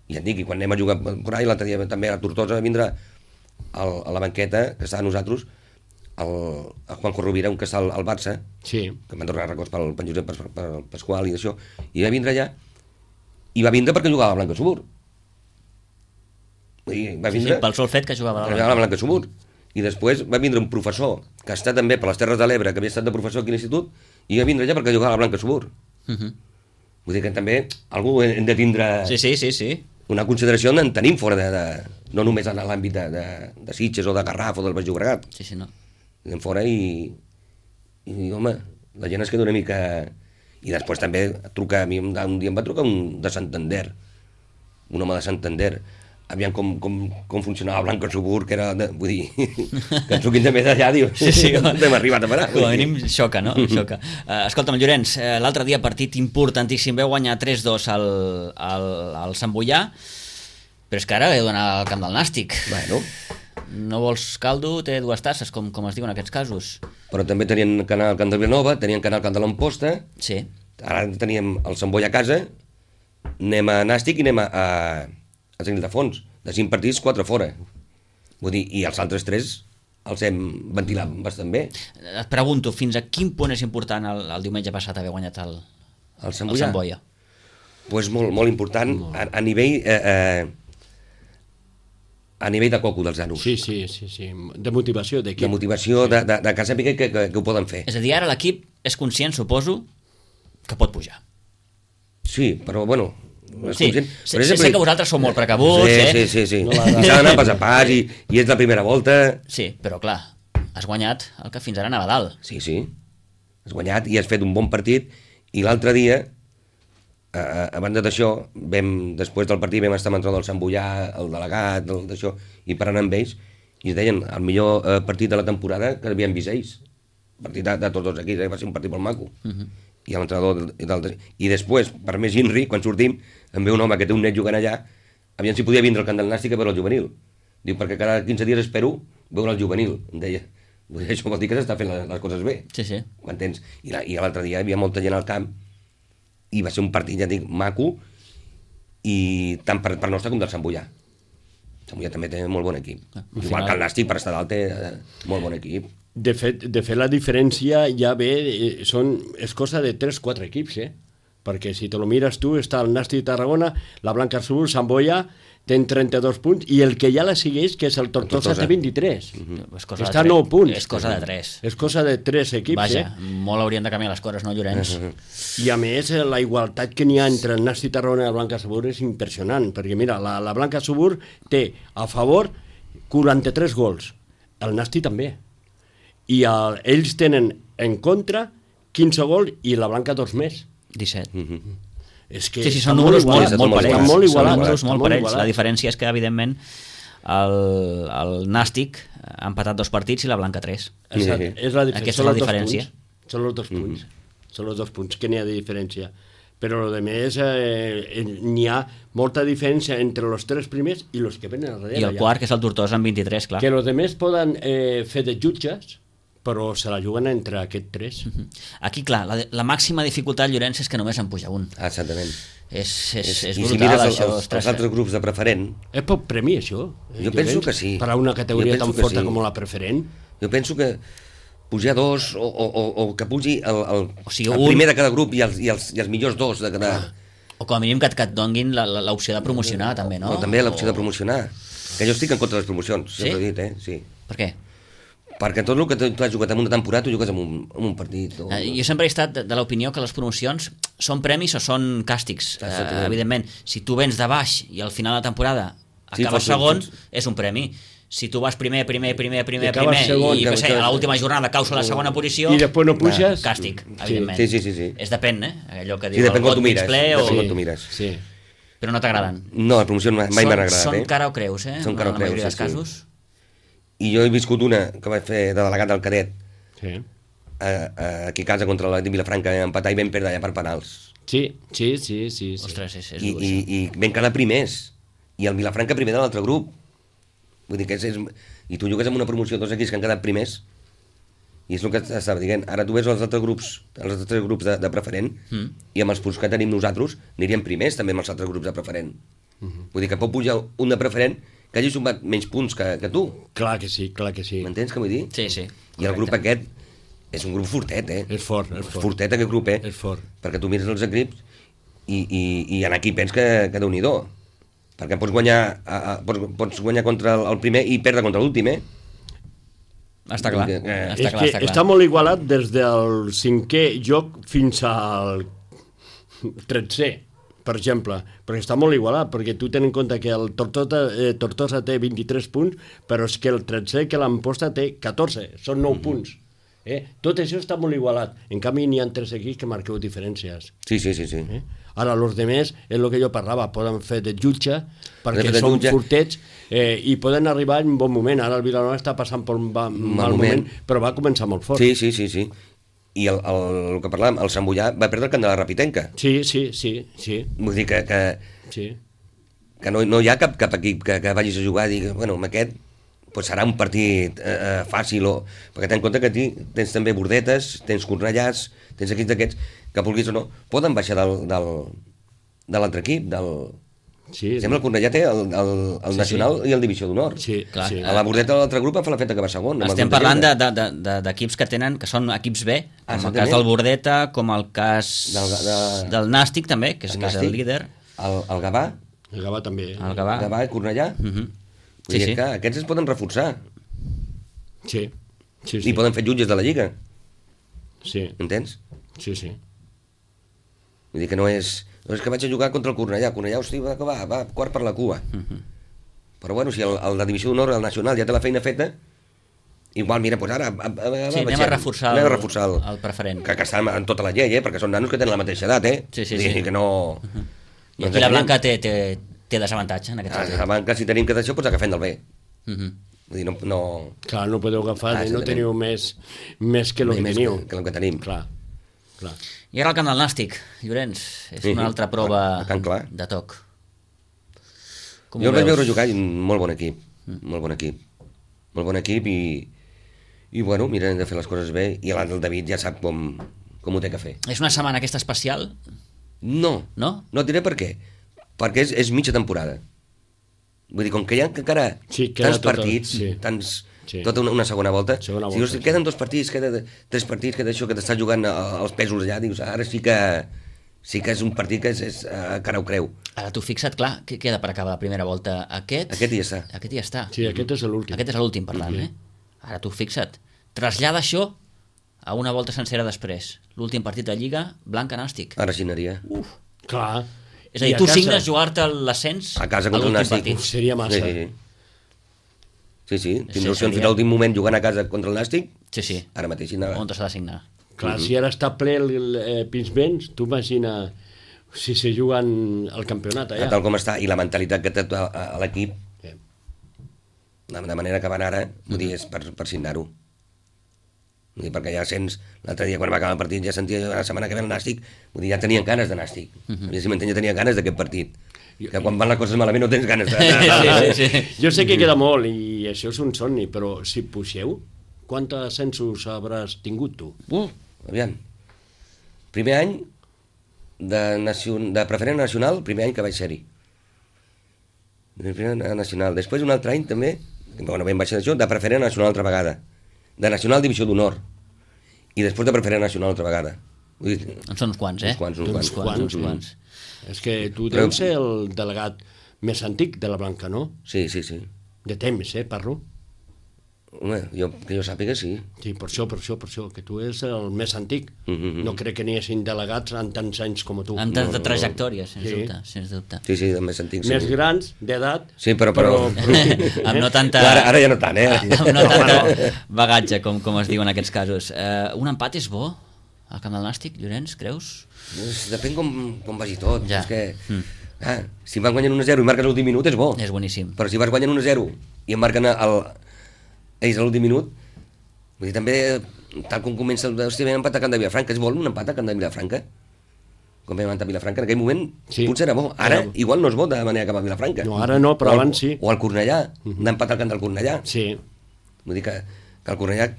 I et dic, i quan anem a jugar per ahí, l'altre dia també a Tortosa va vindre a la banqueta, que està a nosaltres, el Juanjo Rovira, un que està al Barça, que m'han donat records pel Josep Pasqual i d'això, i va vindre allà, i va vindre perquè jugava a la Blanca Subur. Pel sol fet que jugava a la Blanca Subur. I després va vindre un professor, que està també per les Terres de l'Ebre, que havia estat de professor aquí a l'institut, i va vindre allà perquè jugava a la Blanca Subur. Vull dir que també algú hem de tindre... Sí. Una consideració en tenim fora no només en l'àmbit de Sitges o de Garraf o del Baix Llobregat. Sí, no. Anem fora i home, la gent es queda una mica... I després també truca, a mi un dia em va trucar un de Santander, un home de Santander, aviam com funcionava Blanca Subur, que era, vull dir, que ens truquin també d'allà, diu, hem arribat a parar. Com a mínim xoca, no? Xoca. Escolta'm, Llorenç, l'altre dia partit importantíssim, veu guanyar 3-2 al Sant Boià, però és que ara heu d'anar al camp del Nàstic. Bueno. No vols caldo, té dues tasses, com es diu en aquests casos. Però també tenien que anar al camp de Vilanova, tenien que anar al camp de l'Amposta, ara teníem el Sant Boi a casa, anem a Nàstic i anem a Sant Ildefons. De 5 partits, 4 fora. Vull dir, i els altres 3 els hem ventilat bastant bé. Et pregunto, fins a quin punt és important el diumenge passat haver guanyat el Sant Boia? Doncs molt important, a nivell... a nivell de coco dels nanos. Sí. De motivació d'equip. De motivació, de que sàpiga que ho poden fer. És a dir, ara l'equip és conscient, suposo, que pot pujar. Sí, però bueno... Sí, sé que vosaltres sou molt precabuts, Sí. No i s'ha d'anar pas a pas i és la primera volta. Sí, però clar, has guanyat el que fins ara anava dalt. Sí. Has guanyat i has fet un bon partit i l'altre dia, a banda d'això, després del partit vam estar amb l'entrenador del Sant Boià, el delegat, d'això, i parlant amb ells, i es deien el millor partit de la temporada que havien vist ells. El partit de tots els equips, va ser un partit molt maco. I l'entrenador i després, per més Inri, quan sortim em ve un home que té un net jugant allà, aviam si podia vindre al camp del Nàstic a veure el juvenil. Diu, perquè cada 15 dies espero veure el juvenil, em deia. Això vol dir que s'està fent les coses bé. Sí. M'entens? I l'altre dia hi havia molta gent al camp i va ser un partit, ja dic, maco, i tant per nostre com del Sant Boià. Sant Boià també té molt bon equip. Igual que el Nàstic, per estar dalt, té molt bon equip. De fet, la diferència ja ve, és cosa de 3-4 equips, perquè si te lo mires tu, està el Nàstic de Tarragona, la Blanca Subur, Sant Boia, ten 32 punts, i el que ja la segueix, que és el Tortosa, té 23. Està a 9 punts. És cosa de 3. És cosa de 3 equips, Vaja, molt haurien de canviar les coses, no, Llorenç? I a més, la igualtat que n'hi ha entre el Nàstic de Tarragona i la Blanca Subur és impressionant, perquè mira, la Blanca Subur té a favor 43 gols, el Nàstic també, i ells tenen en contra 15 gols i la Blanca 2 més. 17. És que sí, són números molt parells. Són números molt parells. La diferència és que, evidentment, el Nàstic ha empatat 2 partits i la Blanca 3. Aquesta és la diferència. Són els 2 punts. Són els 2 punts que n'hi ha de diferència. Però, a més, n'hi ha molta diferència entre els 3 primers i els que venen darrere. I el quart, que és el Tortosa, amb 23, clar. Que els altres poden fer de jutges, però se la juguen entre aquests 3. Aquí, clar, la màxima dificultat, Llorenç, és que només en puja un. Exactament. És I brutal, si mires això. els altres grups de preferent... És poc premi, això? Jo penso que sí. Per a una categoria tan forta com la preferent? Jo penso que pujar 2 o que pugi el sigui, primer de cada grup i els millors 2 de cada... O com a mínim que et donguin l'opció de promocionar, també, no? O també l'opció de promocionar. Que jo estic en contra de les promocions, sí? Ja t'ho he dit, Sí. Per què? Perquè tot el que tu has jugat en una temporada, tu jugues en un partit. Jo sempre he estat de l'opinió que les promocions són premis o són càstigs. Evidentment, si tu vens de baix i al final de la temporada acabes segon, és un premi. Si tu vas primer segon, i a l'última jornada caus a la segona posició, i després no puges, càstig, evidentment. Sí. És depèn, Allò que diu el got mig ple o... mires. Sí. Però no t'agraden. No, les promocions mai m'han agradat. Són cara o creus, Són cara o creus, en la majoria dels casos. I jo he viscut una que vaig fer de delegat del cadet aquí a casa contra la Vilafranca, empatar i vam perdre allà per penals. Sí. Ostres, és dur, I vam quedar primers. I el Vilafranca primer de l'altre grup. Vull dir que i tu jugues amb una promoció, 2 equips que han quedat primers, i és el que estava dient. Ara tu ves els altres grups de preferent, i amb els punts que tenim nosaltres aniríem primers també amb els altres grups de preferent. Vull dir que pot pujar un de preferent que hagi sumat menys punts que tu. Clar que sí. M'entens què vull dir? Sí. I el grup aquest és un grup fortet, És fort. Fortet aquest grup, És fort. Perquè tu mires els equips i en aquí pens que Déu-n'hi-do. Perquè pots guanyar contra el primer i perdre contra l'últim, Està clar. Està molt igualat des del 5è joc fins al 13è, per exemple, perquè està molt igualat, perquè tu ten en compte que el Tortosa té 23 punts, però és que el 13è que l'Amposta té 14, són 9 punts. Tot això està molt igualat. En canvi, n'hi ha 3 equips que marqueu diferències. Sí. Ara, els demés, és el que jo parlava, poden fer de jutge, perquè són fortets i poden arribar en un bon moment. Ara el Vilanova està passant per un mal moment, però va començar molt fort. Sí. I el que parlàvem, el Sant Boià va perdre el camp de la Rapitenca. Sí. Vull dir que no hi ha cap equip que vagis a jugar i dir, bueno, amb aquest pues serà un partit fàcil, perquè ten en compte que tens també Bordetes, tens Cornellàs, tens equips d'aquests que vulguis o no, poden baixar de l'altre equip, Sembla que el Cornellà té el Nacional i el Divisió d'Honor. Sí. A la Bordeta de l'altre grup fa la feta que va segon. Estem parlant d'equips que són equips B, com el cas del Bordeta, com el cas del Nàstic també, que és el líder. El Gavà. El Gavà també. El Gavà i Cornellà. Vull dir que aquests es poden reforçar. Sí. I poden fer jutges de la Lliga. Sí. Entens? Sí. Vull dir que no és que vaig a jugar contra el Cornellà. Cornellà, hosti, va quart per la cua. Però bueno, si el de Divisió d'Honor, el Nacional, ja té la feina feta, igual, mira, doncs ara... anem a reforçar el preferent. Que està en tota la llei, perquè són nanos que tenen la mateixa edat, Sí. Que no... I aquí la Blanca té desavantatge, en aquest sentit. La Blanca, si tenim que d'això, doncs agafem del B. Vull dir, no... Clar, no podeu agafar, no teniu més que el que teniu. Que el que tenim. Clar. I ara el camp del Nàstic, Llorenç, és una altra prova de toc. Jo el vaig veure jugar i molt bon equip. Molt bon equip i bueno, mira, hem de fer les coses bé i el David ja sap com ho té que fer. És una setmana aquesta especial? No et diré per què. Perquè és mitja temporada. Vull dir, com que hi ha encara tants partits, tota una segona volta. Si volta, queden 2 partits, queden 3 partits, queda això que t'estàs jugant els pesos allà, dius, ara sí que és un partit que és cara o creu. Ara t'ho fixa't, clar, què queda per acabar la primera volta? Aquest ja està. Sí, aquest és l'últim. Aquest és l'últim, per tant, Ara t'ho fixa't. Trasllada això a una volta sencera després. L'últim partit de Lliga, Blanca-Nàstic. Ara sí anaria. Clar. És a dir, tu signes jugar-te l'ascens a casa contra el Nàstic. Seria massa. Sí. Tindràs fins a l'últim moment jugant a casa contra el Nàstic. Sí. Ara mateix sí anava. On s'ha de signar. Clar, si ara està ple el Pinsbens, tu imagina si se juguen el campionat allà. Tal com està, i la mentalitat que té a l'equip, de manera que van ara, vull dir, és per signar-ho. Vull dir, perquè ja sents, l'altre dia quan va acabar el partit ja sentia la setmana que ve el Nàstic, vull dir, ja tenien ganes de Nàstic. Si m'entén, ja tenia ganes d'aquest partit. Que quan van les coses malament no tens ganes de... Sí. Jo sé que queda molt i això és un somni, però si pugeu, quants ascensos hauràs tingut tu? Aviam. Primer any de preferent nacional, primer any que vaig ser-hi. Preferent nacional. Després un altre any també, bueno, ben baix d'això, de preferent nacional altra vegada. De nacional divisió d'honor. I després de preferent nacional altra vegada. En són uns quants, Uns quants. És que tu deus ser el delegat més antic de la Blanca, no? Sí. De temps, parlo. Home, que jo sàpiga, sí. Sí, per això, que tu és el més antic. No crec que n'hi hagin delegats en tants anys com tu. En tanta trajectòria, sens dubte. Sí, el més antic, sí. Més grans, d'edat... Sí, però... Amb no tanta... Ara ja no tant, Amb no tant bagatge, com es diu en aquests casos. Un empat és bo al camp del Nàstic, Llorenç, creus? Depèn com vagi tot. Ja. És que, si van guanyant 1-0 i marques l'últim minut és bo. És boníssim. Però si vas guanyant 1-0 i em marquen ells a l'últim minut, vull dir, també, tal com comença vam empatar a Camp de Vilafranca, es vol un empat a Camp de Vilafranca? Com vam empatar a Vilafranca, en aquell moment potser era bo. Ara igual no és bo de manera cap a Vilafranca. No, ara no, però abans sí. O al Cornellà, d'empatar al camp del Cornellà. Sí. Vull dir que el Cornellà,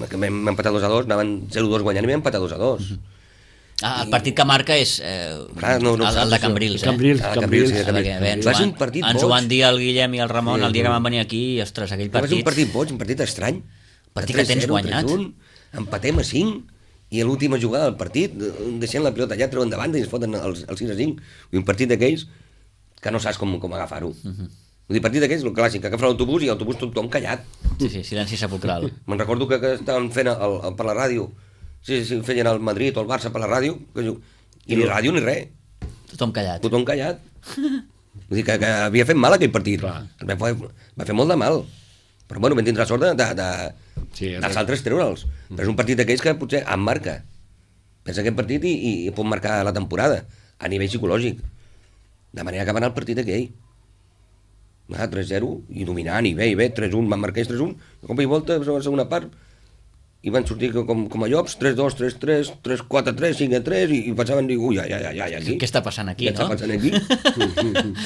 que vam empatar 2-2, anaven 0-2 guanyant i vam empatar 2-2. El partit que marca és el de Cambrils. Cambrils. Va ser un partit boig. Ens ho van dir el Guillem i el Ramon el dia que van venir aquí i, ostres, aquell partit... Va ser un partit boig, un partit estrany. Partit que tens guanyat. Empatem a 5 i a l'última jugada del partit deixem la pilota allà, treuen davant i ens foten els 6-5. Un partit d'aquells que no saps com agafar-ho. Vull dir, partit d'aquells, el clàssic, que agafen l'autobús i l'autobús tothom callat. Sí, silenci sepulcral. Me'n recordo que estaven fent per la ràdio, feien el Madrid o el Barça per la ràdio, i ni ràdio ni res. Tothom callat. Tothom callat. Vull dir que havia fet mal aquell partit. Va fer molt de mal. Però bueno, vam tindre la sort dels altres treure'ls. Però és un partit d'aquells que potser em marca. Pensa aquest partit i pot marcar la temporada, a nivell psicològic. De manera que va anar el partit aquell. 3-0 i dominant, i bé, 3-1, van marcar 3-1, cop i volta, a la segona part, i van sortir com a llops, 3-2, 3-3, 3-4-3, 5-3, i pensaven, ui, aquí. Què està passant aquí, no? Què està passant aquí?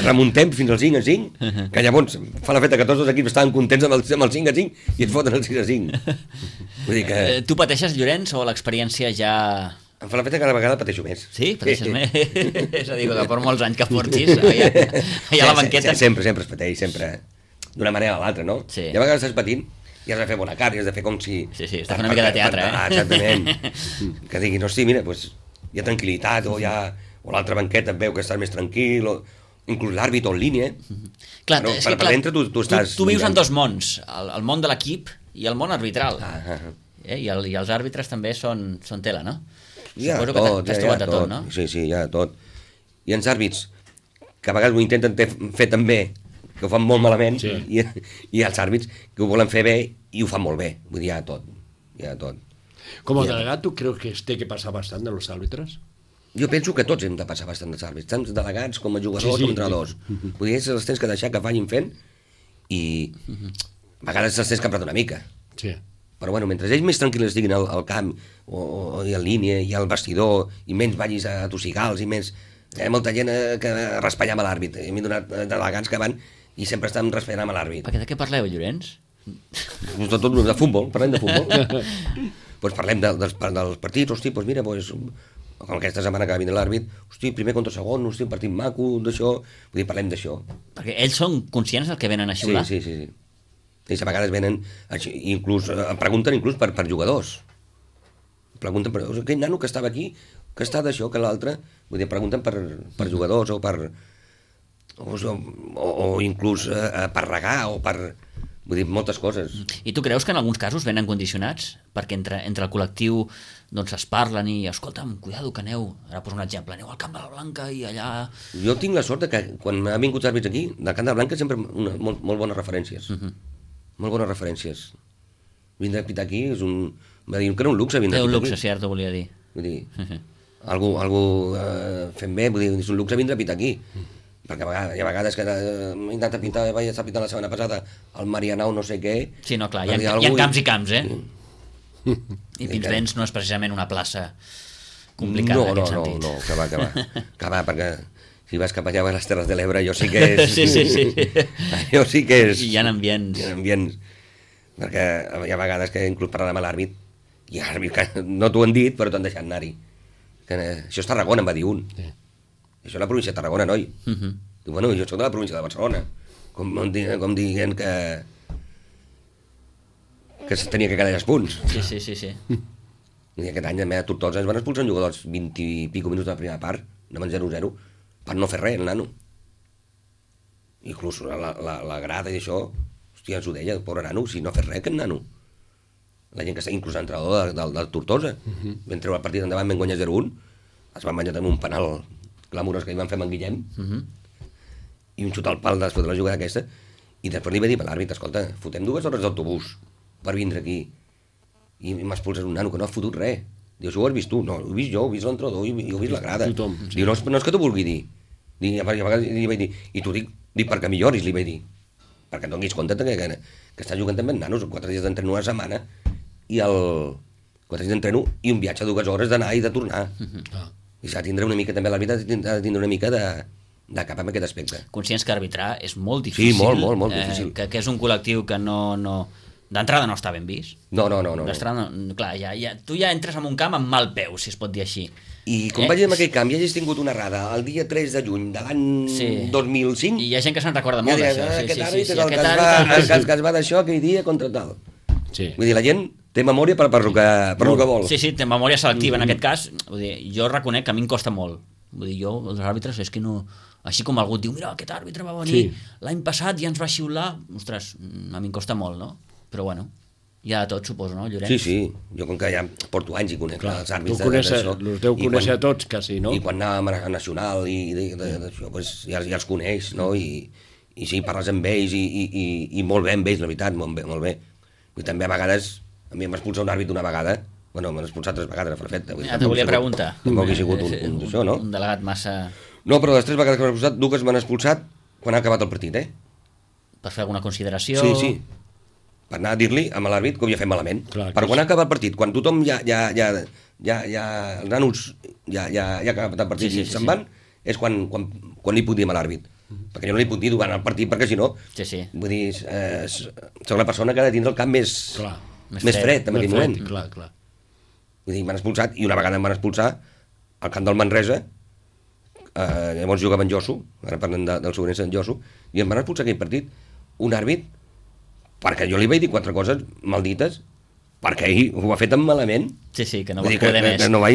Remuntem fins al 5-5, que llavors fa la feta que tots els equips estaven contents amb el 5-5 i ens foten el 6-5. Vull dir que... Tu pateixes, Llorenç, o l'experiència ja... Em fa la feta que cada vegada pateixo més. Sí? Pateixes més? És a dir, que per molts anys que portis, allà a la banqueta... Sempre es pateix, sempre. D'una manera o l'altra, no? Sí. I a vegades estàs patint i has de fer bona cara, i has de fer com si... Sí, estàs fent una mica de teatre, Exactament. Que diguin, hosti, mira, hi ha tranquil·litat, o l'altra banqueta et veu que estàs més tranquil, o inclús l'àrbit o en línia. Clar, per dintre tu estàs... Tu vius en dos mons, el món de l'equip i el món arbitral. I els àrbitres també són tela, no? Ja tot, no? Sí, hi ha tot. I els àrbits, que a vegades ho intenten fer també, que ho fan molt malament, i els àrbits que ho volen fer bé i ho fan molt bé. Vull dir, hi ha tot. Com a delegat, tu creus que es té que passar bastant de los àrbitres? Jo penso que tots hem de passar bastant dels àrbitres, tant delegats com a jugadors com entrenadors. Vull dir, els tens que deixar que vagin fent i a vegades els tens que apretar una mica. Sí. Però bueno, mentre ells més tranquils estiguin al camp o en línia i al vestidor i menys vagis a tossigals i menys... Hi ha molta gent que raspallam a l'àrbit. M'he donat delegats que van i sempre estan raspallant a l'àrbit. Perquè de què parleu, Llorenç? De futbol, parlem de futbol. Doncs parlem dels partits, hosti, doncs mira, com aquesta setmana que va vindre l'àrbit, hosti, primer contra segon, hosti, un partit maco, d'això, vull dir, parlem d'això. Perquè ells són conscients del que venen a xiular? Sí. I a vegades venen, inclús, pregunten inclús per jugadors. Pregunten per aquell nano que estava aquí, que està d'això, que l'altre, vull dir, pregunten per jugadors o per... o inclús per regar o per... Vull dir, moltes coses. I tu creus que en alguns casos venen condicionats? Perquè entre el col·lectiu doncs es parlen i, escolta'm, cuidado que aneu, ara poso un exemple, aneu al Camp de la Blanca i allà... Jo tinc la sort que quan ha vingut àrbits aquí, del Camp de la Blanca sempre molt bones referències. Molt bones referències. Vindre a pitar aquí és un... Va dir que era un luxe vindre a pitar aquí. Té un luxe, cert, ho volia dir. Vull dir, algú fent bé, vull dir, és un luxe vindre a pitar aquí. Perquè hi ha vegades que m'he intentat pintar, vaig estar pintant la setmana passada el Marianao no sé què... Sí, no, clar, hi ha camps i camps, I Pinsbens no és precisament una plaça complicada en aquest sentit. No, que va, perquè si vas cap allà a les Terres de l'Ebre, jo sí que és... Sí. Jo sí que és... Hi ha ambients. Hi ha ambients. Perquè hi ha vegades que inclús parlant amb l'àrbit, i l'àrbit que no t'ho han dit, però t'han deixat anar-hi. Això és Tarragona, em va dir un. Sí. Això és la província de Tarragona, noi. Diu, bueno, jo soc de la província de Barcelona. Com dient que se tenia que quedar els punts. Sí. I aquest any a Tortosa ens van expulsar un jugador als 20 i pico minuts de la primera part, anaven 0-0, per no fer res, el nano. Inclús la grada i això, hòstia, ens ho deia, el pobre nano, si no ha fet res, aquest nano. La gent que està inclús l'entrenador del Tortosa, vam treure el partit endavant, vam guanyar 0-1, es van banyar amb un penal clamorós que hi van fer amb en Guillem, i un xut al pal després de la jugada aquesta, i després li va dir a l'àrbit, escolta, fotem 2 hores d'autobús per vindre aquí, i m'expulses un nano que no ha fotut res. Diu, això ho has vist tu? No, ho he vist jo, ho he vist l'entrenador, ho he vist la grada. Tothom, sí. Diu, no és que t'ho vulgui dir. I a vegades li vaig dir, i t'ho dic perquè milloris, li vaig dir, perquè et donis compte que està jugant també amb nanos, 4 dies d'entreno a la setmana, i 4 dies d'entreno i un viatge de 2 hores d'anar i de tornar. I s'ha de tindre una mica, també l'àrbitre ha de tindre una mica de cap en aquest aspecte. Conscients que arbitrar és molt difícil. Sí, molt difícil. Que és un col·lectiu que no d'entrada no està ben vist. No. D'entrada, clar, tu ja entres en un camp amb mal peu, si es pot dir així. I com vaig dir en aquell camp, ja hagis tingut una errada el dia 3 de juny de l'any 2005... I hi ha gent que se'n recorda molt d'això. Aquest àrbit és el que es va d'això aquell dia contra tal. Sí. Vull dir, la gent té memòria per el que vol. Sí, té memòria selectiva en aquest cas. Vull dir, jo reconec que a mi em costa molt. Vull dir, jo, els àrbitres, és que no... Així com algú et diu, mira, aquest àrbitre va venir l'any passat i ens va xiular. Ostres, a mi em costa molt, no? Però bueno, hi ha de tot, suposo, no, Llorenç? Sí. Jo com que ja porto anys i conec els àrbits d'això. Els deu conèixer a tots, quasi, no? I quan anàvem a Nacional i d'això, ja els coneix, no? I sí, parles amb ells i molt bé amb ells, la veritat, molt bé. I també a vegades, a mi m'ha expulsat un àrbit una vegada, bueno, m'han expulsat 3 vegades a Frafeta. Ja t'ho volia preguntar. Tampoc he sigut un d'això, no? Un delegat massa... No, però les 3 vegades que m'han expulsat, 2 m'han expulsat quan ha acabat el partit, Per fer alguna consideració... Sí. Per anar a dir-li a l'àrbit que ho havia fet malament. Clar, però quan ha acabat el partit, quan tothom els nanos ja ha acabat el partit i se'n van, és quan li puc dir a l'àrbit. Perquè jo no li puc dir durant el partit, perquè si no... Sí. Vull dir, soc la persona que ha de tindre el camp més fred en aquell moment. Clar. Vull dir, m'han expulsat, i una vegada em van expulsar al camp del Manresa, llavors jugava en Josu, ara parlem del Sobrense en Josu, i em van expulsar aquell partit un àrbit perquè jo li vaig dir 4 coses maldites perquè ell ho ha fet tan malament. Sí, que no vas poder més. No vas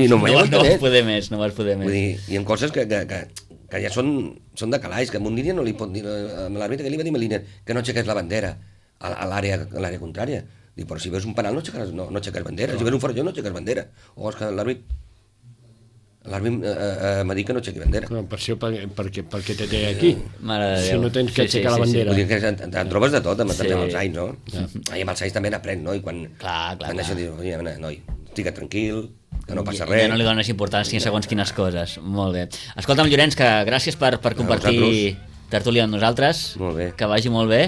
poder més. Vull dir, hi ha coses que ja són de calaix, que un dia no li pot dir a l'àrbitre, que li va dir a Meliner que no aixequés la bandera a l'àrea contrària. Dic, però si veus un penal no aixeques bandera, si veus un forajó no aixeques bandera. O és que l'àrbit m'ha dit que no aixequi bandera. No, per això, perquè te té aquí. Mare de Déu. Si no tens que aixecar la bandera. Vull dir que en trobes de tot, també amb els anys, no? I amb els anys també n'aprèn, no? I quan això dius, noi, estic tranquil, que no passa res. Ja no li dones importància a segons quines coses. Molt bé. Escolta'm, Llorenç, que gràcies per compartir tertúlia amb nosaltres. Molt bé. Que vagi molt bé.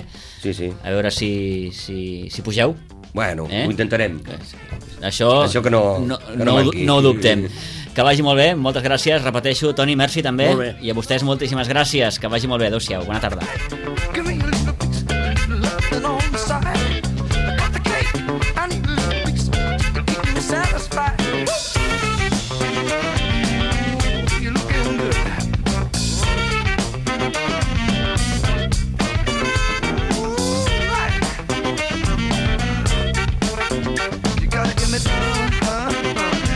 Sí. A veure si pugeu. Bueno, ho intentarem. Això que no ho dubtem. Que vagi molt bé, moltes gràcies. Repeteixo, Toni, merci també. I a vostès moltíssimes gràcies. Que vagi molt bé. Adéu-siau. Bona tarda. You gotta give me